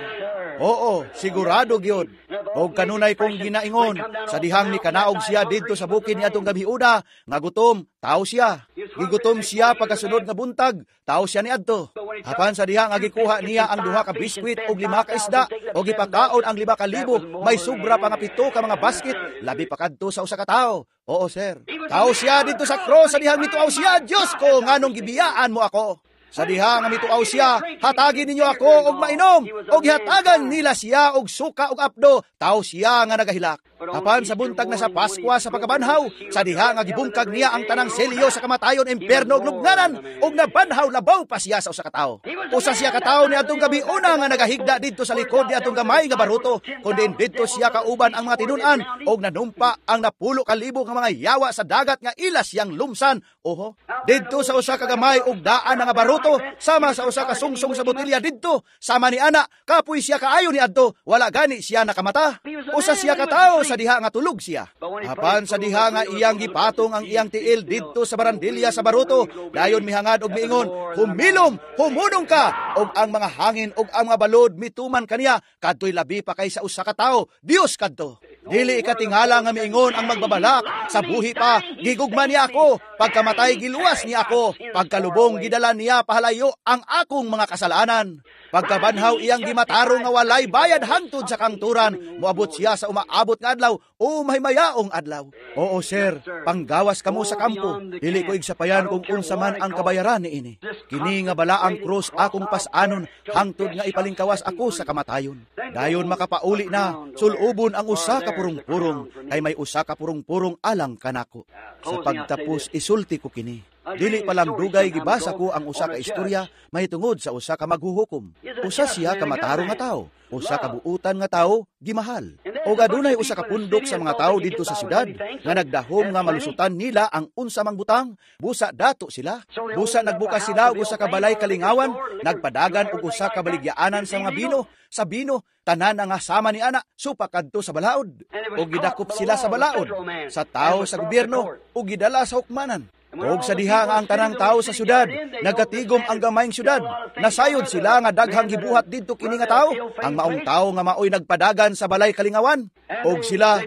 Oo, sigurado gyud. Og kanunay kong ginaingon, sa dihang ni kanaog siya didto sa bukid niadtong gabiuna, nga gutom, tao siya. Gigutom siya pagkasunod nga buntag, tao siya niadto. Apan sa diha nga gikuha niya ang 2 ka biskwit og 5 ka isda, og gipakaon ang 5,000, may sobra pa nga 7 ka mga basket, labi pa kadto sa usa ka tawo. Oo, sir. Tao siya didto sa cross, sa dihang mituaw siya, "Diyos ko, nganong gibiyaan mo ako?" Sa diha nga mituaw siya, "Hatagi ninyo ako og mainom," og gihatagan nila siya og suka og apdo, tao siya nga nagahilak. Apan sa buntag na sa Paskwa sa pagkabanhaw, sa diha nga gibungkag niya ang tanang selyo sa kamatayon, impierno ug lubnganan, ug nabanhaw, labaw pa siya sa usa ka tawo. Usa siya ka tawo niadtong gabi una nga nagahigda didto sa likod niadtong gamay nga baruto, kundi didto siya kauban ang mga tinun-an og nanumpa ang 10,000 nga mga yawa sa dagat nga ila siyang lumsan. Oho, didto sa usa ka gamay og daan nga baruto, sama sa usa ka sungsong sa botelya didto, sama ni ana, kapoy siya kaayo ni adto, wala gani siya nakamata. Usa siya ka tawo sa diha nga tulog siya. Apan sa diha nga iyang gipatong ang iyang tiil didto sa barandilya sa baruto, dayon mihangad og miingon, "Humilom, humunong ka," og ang mga hangin og ang mga balod mituman kaniya, kadtoy labi pa kay sa usa ka tawo, Dios kadto. Dili ikatingala nga miingon ang magbabalak, sa buhi pa, gigugma niya ako, pagkamatay giluwas niya ako, pagkalubong gidala niya pahalayo ang akong mga kasalanan. Pagkabanhaw iyang gimatarong nga walay bayad hangtod sa kangturan, moabot siya sa umaabot nga adlaw o mahimayaong adlaw. Oo, sir, panggawas kamo sa kampo, dili ko igsapayan kung unsa man ang kabayaran niini. Kini nga balaang krus akong pas-anon hangtod nga ipalingkawas ako sa kamatayon. Dayon makapauli na, sulubon ang usa ka purong-purong, kay may usa ka purong-purong alang kanako. Sa pagtapos isulti ko kini. Dili pa lang dugay gibasa ko ang usa ka istorya mahitungod sa usa ka maghuhukom. Usa siya ka matarong nga tawo, usa ka buutan nga tawo, gimahal. Og adunay usa ka pundok sa mga tawo didto sa syudad nga nagdahom nga malusutan nila ang unsa mang butang, busa dato sila. Busa nagbukas sila og usa ka balay kalingawan, nagpadagan og usa ka baligyaanan sa mga bino, sa bino tanan nga sama ni ana supa kadto sa balaod. Og gidakop sila sa balaod, sa tawo sa gobyerno ug gidala sa hukmanan. Og sa diha nga ang tanang tao sa syudad, nagkatigom ang gamayng syudad. Nasayod sila nga daghang gibuhat didto kini nga tawo, ang maong tawo nga maoy nagpadagan sa balay kalingawan. Og sila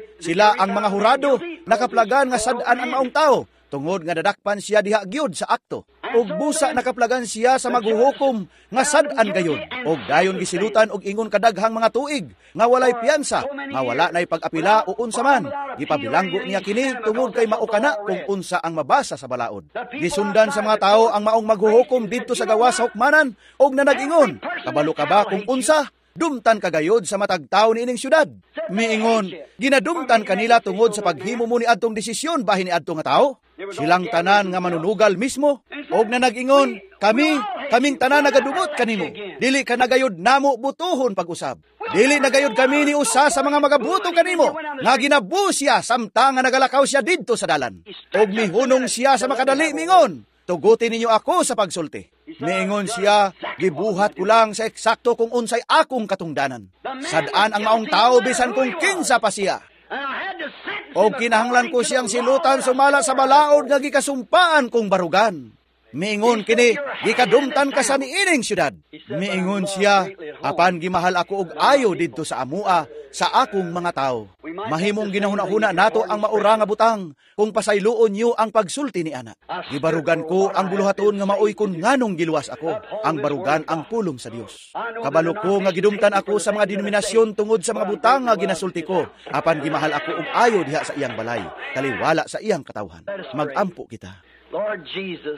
ang mga hurado, nakaplagan nga sad-an ang maong tawo, tungod nga dadakpan siya diha gyud sa akto. Og busa nakaplagan siya sa maghuhukom nga sad-an gayud. Og dayon gisilutan og ingon kadaghang mga tuig nga walay piyansa, nga wala nay pag-apila o unsa man. Gipabilanggo niya kini tungod kay mao kana kung unsa ang mabasa sa balaod. Gisundan sa mga tawo ang maong maghuhukom didto sa gawas sa hukmanan og nanag-ingon, "Kabalo ka ba kung unsa? Dumtan kagayod sa matag tawo niining syudad." Miingon, "Ginadumtan kanila tungod sa paghimo mo ni adtong desisyon bahin ni adto nga tawo." Silang tanan nga manunugal mismo og nanag-ingon, "Kami, kaming tanan nagadumot kanimo. Dili ka nagayod namo butuhon pag-usab. Dili nagayod kami ni usa sa mga magabuto kanimo nga ginabu siya samtang nga nagalakaw siya didto sa dalan." Og mihunong siya sa makadali mingon, "Tuguti ninyo ako sa pagsulti." Miingon siya, "Gibuhat ko lang sa eksakto kung unsay akong katungdanan. Sad-an ang maong tao bisan kung kinsa pa siya. O kinahanglan ko siyang silutan sumala sa balaod nga gikasumpaan kong barugan." Miingon kini, "Gikadumtan ka sa niining syudad." Miingon siya, "Apan gimahal ako og ayo didto sa amua sa akong mga tao." Mahimong ginahuna-huna nato ang maura nga butang kung pasayloon niyo ang pagsulti ni ana. Gibarugan ko ang buluhaton nga maoy kun nganong giluwas ako, ang barugan ang pulong sa Dios. Kabalo ko nga gidumtan ako sa mga denominasyon tungod sa mga butang nga ginasulti ko, apan gimahal ako og ayo diha sa iyang balay, taliwala sa iyang katawhan. Magampo kita. Lord Jesus,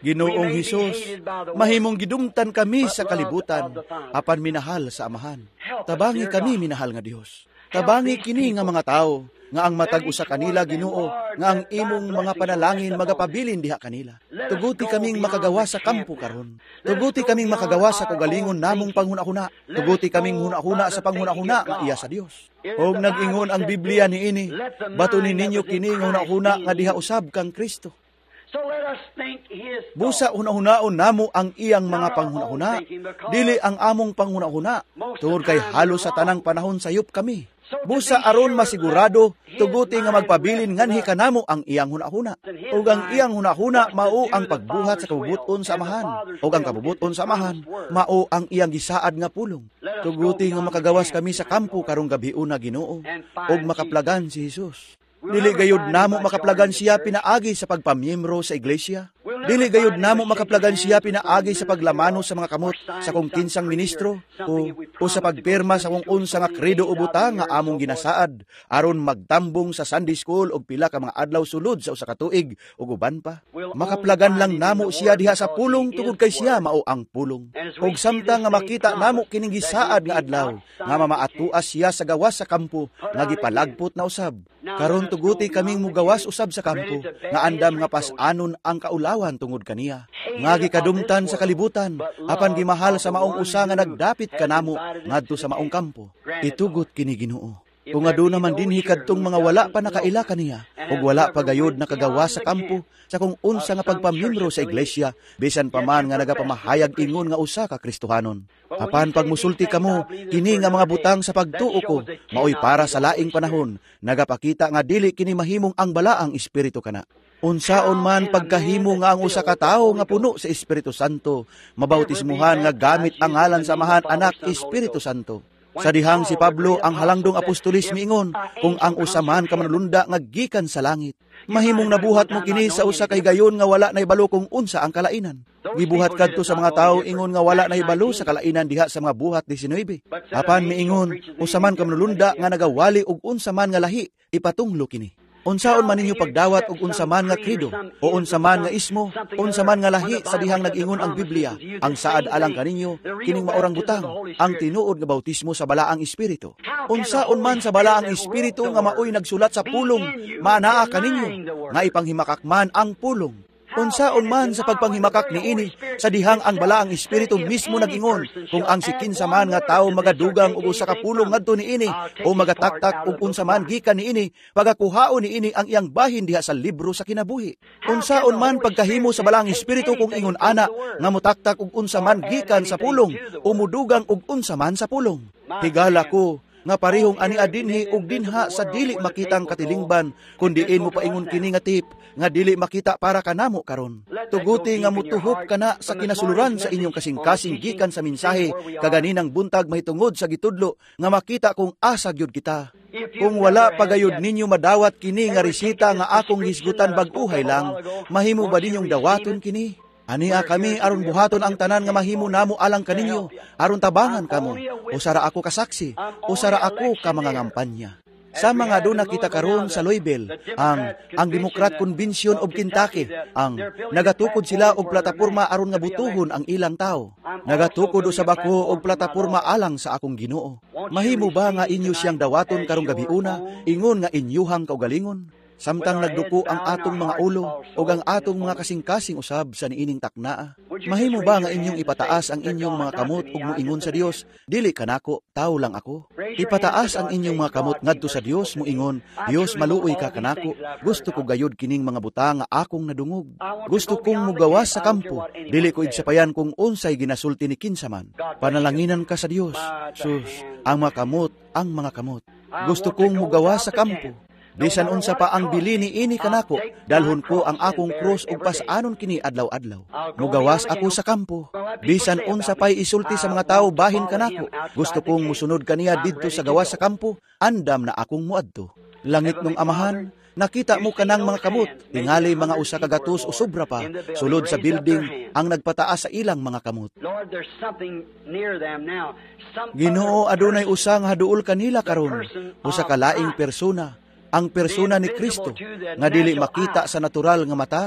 Ginoong Hesus, mahimong gidumtan kami sa kalibutan, apan minahal sa Amahan. Tabangi kami, minahal nga Dios. Tabangi kini nga mga tao, Nga ang matag usa kanila, Ginoo, nga ang imong mga panalangin magapabilin diha kanila. Tuguti kaming makagawa sa kampo karon. Tuguti kaming makagawa sa kaugalingon namong panghuna-huna. Tuguti kaming hunahuna sa panghuna-huna nga iya sa Dios. Og nag-ingon ang Biblia niini, batunin ninyo kini nga hunahuna nga diha usab kang Kristo. Busa hunahunaon namo ang iyang mga panghunahuna, dili ang among panghunahuna, tungod kay halos sa tanang panahon sayop kami. Busa aron masigurado, tuguti nga magpabilin nganhi kanamo ang iyang hunahuna. Ug ang iyang hunahuna mao ang pagbuhat sa kabubuton sa Amahan, ug ang kabubuton sa Amahan mao ang iyang gisaad nga pulong. Tuguti nga makagawas kami sa kampo karong gabiuna, Ginoo, ug makaplagan si Hesus. Dili gayud namo makaplagan siya pinaagi sa pagpamiyembro sa iglesia. Dili gayud namo makaplagan siya pinaagi sa paglamano sa mga kamot sa kung kinsang ministro o sa pagpirma sa kung unsa nga kredo o butang nga among ginasaad aron magtambong sa Sunday school og pila ka mga adlaw sulod sa usa ka tuig ug uban pa. Makaplagan lang namo siya diha sa pulong tungod kay siya mao ang pulong. Og samtang nga makita namo kining gisaad nga adlaw nga mamaatuas siya sa gawas sa kampo nga gipalagpot na usab. Karon tuguti kaming mugawas usab sa kampo nga andam nga pas-anon ang kaulawan tungod kaniya. Nga gikadumtan sa kalibutan apan gimahal sa maong usa nga nagdapit kanamo ngadto sa maong kampo. Itugot kini, Ginoo. Kung aduna man dinhi kadtong mga wala pa nakaila kaniya ug wala pa gayod nakagawa sa kampo sa kung unsa nga pagpamiyembro sa iglesia, bisan pa man nga nagapamahayag ingon nga usa ka Kristohanon. Apan pagmusulti kamo, kini nga mga butang sa pagtuo ko maoy para sa laing panahon, nagapakita nga dili kini mahimong ang balaang espiritu kana. Unsaon man pagkahimo nga ang usa ka tawo nga puno sa Espiritu Santo mabautismuhan nga gamit ang ngalan sa Amahan, Anak, Espiritu Santo? Sa dihang si Pablo ang halangdong apostolis miingon, kung ang usa man ka manulunda nga gikan sa langit, mahimong nabuhat mo kini sa usa kay gayon nga wala naibalo kung unsa ang kalainan. Gibuhat kadto sa mga tawo ingon nga wala naibalo sa kalainan diha sa mga Buhat 19. Apan miingon, usa man ka manulunda nga nagawali og unsa man nga lahi, ipatunglo kini. Unsaon man ninyo pagdawat og unsa man nga kredo o unsa man nga ismo, unsa man nga lahi sa dihang nag-ingon ang Biblia, ang saad alang kaninyo kining maorang butang, ang tinuod nga bautismo sa balaang espiritu. Unsaon man sa balaang espiritu nga maoy nagsulat sa pulong, maanaa kaninyo nga ipanghimakak man ang pulong? Unsaon man sa pagpanghimakak niini sa dihang ang balaang espiritu mismo nag-ingon, kung ang sikinsa man nga tawo magadugang og usa ka pulong ngadto niini o magataktak og unsa man gikan niini, pagakuhaon niini ang iyang bahin diha sa libro sa kinabuhi? Unsaon man pagkahimo sa balaang espiritu kung ingon ana nga motaktak og unsa man gikan sa pulong o mudugang og unsa man sa pulong? Higala ko nga parehong ania dinhi ug dinha sa dili makitang katilingban, kun diin mo paingon kini nga tip nga dili makita para kanamo karon. Tuguti nga mutuhop kana sa kinasuluran sa inyong kasing-kasing gikan sa mensahe kaganinang buntag mahitungod sa gitudlo nga makita kung asa gyud kita. Kung wala pagayod ninyo madawat kini nga resita nga akong hisgutan bag-uhay lang, mahimo ba ninyong dawaton kini? Ania kami aron buhaton ang tanan nga mahimo namo alang kaninyo, aron tabangan kamo. Usara ako kasaksi, usara ako ka mga ngampanya. Sa mga doon nakita karon sa Louisville, ang Democrat Convention of Kentucky, ang nagatukod sila og plataporma aron nga butuhon ang ilang tao. Nagatukod usab ako og plataporma alang sa akong Ginoo. Mahimo ba nga inyo siyang dawaton karong gabiuna, ingon nga inyuhang kaugalingon? Samtang nagduko ang atong mga ulo o ang atong mga kasing-kasing usab sa niining taknaa, mahimo ba nga inyong ipataas ang inyong mga kamot ug moingon sa Dios, dili kanako, tawo lang ako? Ipataas ang inyong mga kamot ngadto sa Dios, moingon, Dios, maluoy ka kanako. Gusto ko gayud kining mga butang nga akong nadungog. Gusto kong mugawas sa kampo. Dili ko igsapayan kung unsay ginasulti ni kinsa man. Panalanginan ka sa Dios. Sus, ang mga kamot, ang mga kamot. Gusto kong mugawas sa kampo. Bisan unsa pa ang bili ni ini kanako, dalhon ko ang akong krus ug pas-anon kini adlaw-adlaw. Mugawas ako sa kampo. Bisan unsa pa'y isulti sa mga tawo bahin kanako, gusto kong musunod kaniya didto sa gawas sa kampo, andam na akong muadto. Langit nung Amahan, nakita mo kanang mga kamot, tingali mga usa ka gatos o sobra pa, sulod sa building ang nagpataas sa ilang mga kamot. Ginoo, adunay usa nga haduol kanila karon, usa ka laing persona, Ang persona ni Kristo nga dili makita sa natural nga mata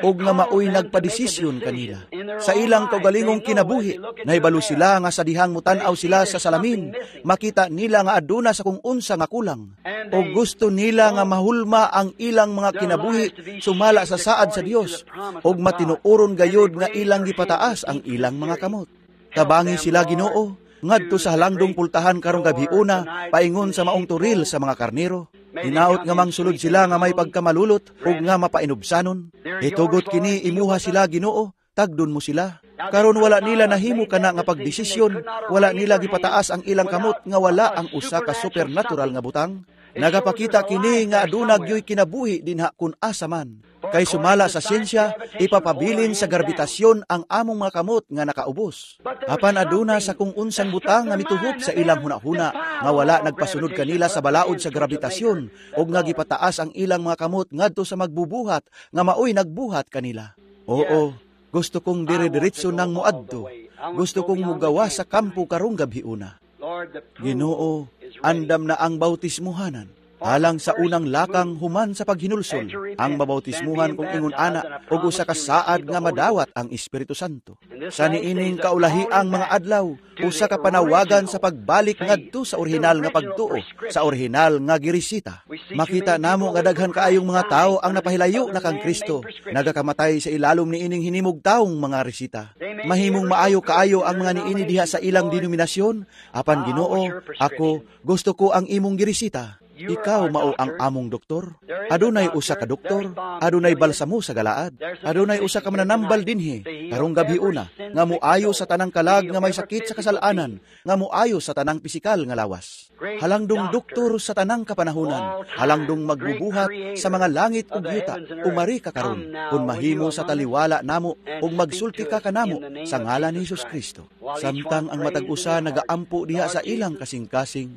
ug nga maoy nagpadesisyon kanila. Sa ilang kaugalingong kinabuhi, nahibalo sila nga sa dihang mutan-aw sila sa salamin, makita nila nga aduna sa kung unsa nga kulang. O gusto nila nga mahulma ang ilang mga kinabuhi sumala sa saad sa Dios ug matinuoron gayod nga ilang gipataas ang ilang mga kamot. Tabangi sila, Ginoo, ngadto sa halangdong pultahan karong gabhiuna paingon sa maong turil sa mga karnero. Hinaot nga mangsulod sila nga may pagkamalulot ug nga mapainubsanon. Itugot kini imuha sila, Ginoo, tagdon mo sila. Karon wala nila nahimo kana nga pagdesisyon, wala nila gipataas ang ilang kamot nga wala ang usa ka supernatural nga butang. Nagapakita kini nga aduna gyoy kinabuhi dinha kun asa man. Kay sumala sa siyensya, ipapabilin sa gravitasyon ang among mga kamot nga nakaubos. Apan aduna sa kung unsang butang nga mituhop sa ilang hunahuna nga wala nagpasunod kanila sa balaod sa gravitasyon ug nga gipataas ang ilang mga kamot ngadto sa magbubuhat nga maoy nagbuhat kanila. Oo, gusto kong dire-diretso nang moadto. Gusto kong mugawa sa kampo karong gabhiuna. Ginoo, andam na ang bautismuhanan. Alang sa unang lakang human sa paghinulsol, ang mabautismuhan kung ingon ana og usa ka saad nga madawat ang Espiritu Santo. Sa niining kaulahiang mga adlaw, usa ka panawagan sa pagbalik ngadto sa orihinal nga pagtuo, sa orihinal nga giresita. Makita namo nga daghan kaayong mga tawo ang napahilayo na kang Kristo, nagakamatay sa ilalom niining hinimog taong mga resita. Mahimong maayo kaayo ang mga niini diha sa ilang denominasyon, apan Ginoo, ako gusto ko ang imong giresita. Ikaw mao ang among doktor. Adunay usa ka doktor, adunay balsamo sa Galaad, adunay usa ka mananambal dinhi karong gabhiuna nga moayo sa tanang kalag nga may sakit sa kasalanan, nga moayo sa tanang pisikal nga lawas. Halangdong doktor sa tanang kapanahunan, halangdong magbubuhat sa mga langit ug yuta, umari ka karon kun mahimo sa taliwala namo ug magsulti ka kanamo sa ngalan ni Hesus Kristo. Samtang ang matag usa nagaampo diha sa ilang kasing-kasing,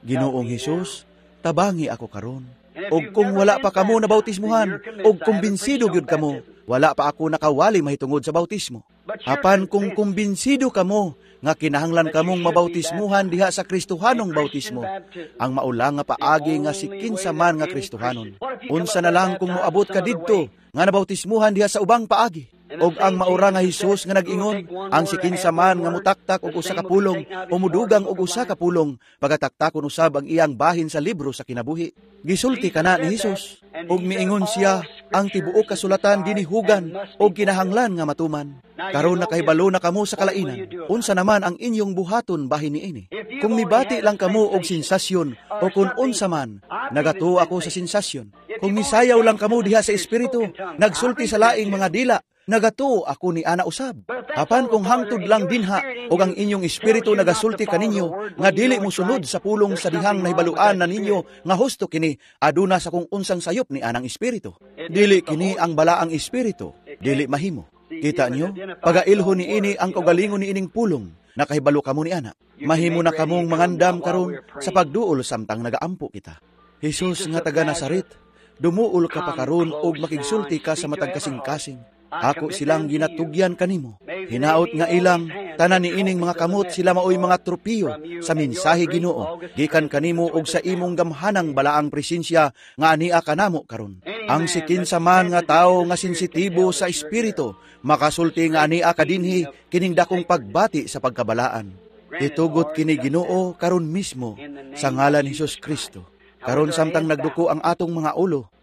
Ginoong Hesus, tabangi ako karon. Og kung wala pa kamo na bautismuhan, og kumbinsido gyud kamo, wala pa ako nakawali mahitungod sa bautismo. Apan kung kumbinsido kamo nga kinahanglan kamong mabautismuhan diha sa Kristohanong bautismo, ang maulang nga paagi nga si kinsa man nga Kristohanon. Unsa na lang kung moabot ka didto nga nabautismuhan diha sa ubang paagi? Og ang maura nga Hesus nga nag-ingon, ang si kinsa man nga mutaktak og usa ka pulong o mudugang og usa ka pulong, pagataktakon usab ang iyang bahin sa libro sa kinabuhi. Gisulti kana ni Hesus, og miingon siya, ang tibuok kasulatan ginihugan og kinahanglan nga matuman. Karon nakahibalo na kamo sa kalainan, unsa naman ang inyong buhaton bahin niini? Kung mibati lang kamo og sensasyon o kung unsa man, nagatuo ako sa sensasyon. Kung misayaw lang kamo diha sa espiritu, nagsulti sa laing mga dila, nagatuo ako ni ana usab. Apan kung hangtod lang dinha og ang inyong espiritu nagasulti kaninyo nga dili mosunod sa pulong sa dihang nahibaluan na ninyo nga husto kini, aduna sa kung unsang sayop ni anang espiritu. Dili kini ang balaang espiritu, dili mahimo. Kita nyo, pagailho ni ini ang kaugalingon ni ining pulong, nakahibalo kamo ni ana. Mahimo na kamong mangandam karon sa pagduol samtang nagaampo kita. Hesus nga taga Nazaret, dumuol ka pa karon og makigsulti ka sa matag kasing-kasing. Ako silang ginatugyan kanimo. Hinaot nga ilang tanan niining mga kamot sila maoy mga tropiyo sa mensahe Ginoo gikan kanimo og sa imong gamhanang balaang presensya nga ania kanamo karon. Ang sikinsa man nga tawo nga sensitibo sa espiritu makasulti nga ania kadinhi kining dakong pagbati sa pagkabalaan. Itugot kini Ginoo karon mismo sa ngalan ni Hesus Kristo. Karon samtang nagduko ang atong mga ulo,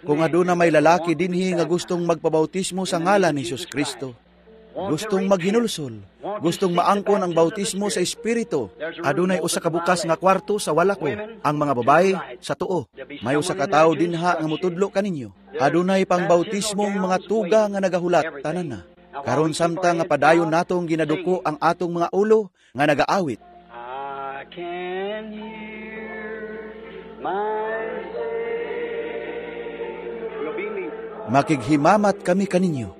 kung aduna may lalaki dinhi nga gustong magpabautismo sa ngalan ni Hesus Kristo, gustong maghinulsol, gustong maangkon ang bautismo sa espiritu, adunay usa ka bukas nga kwarto sa wala ko, ang mga babae sa tuo. May usa ka tawo dinha nga motudlo kaninyo. Adunay pangbautismong mga tuga nga nagahulat tanan na. Karon samtang nga padayon natong ginaduko ang atong mga ulo nga nagaawit. I can hear my Makighimamat kami kaninyo.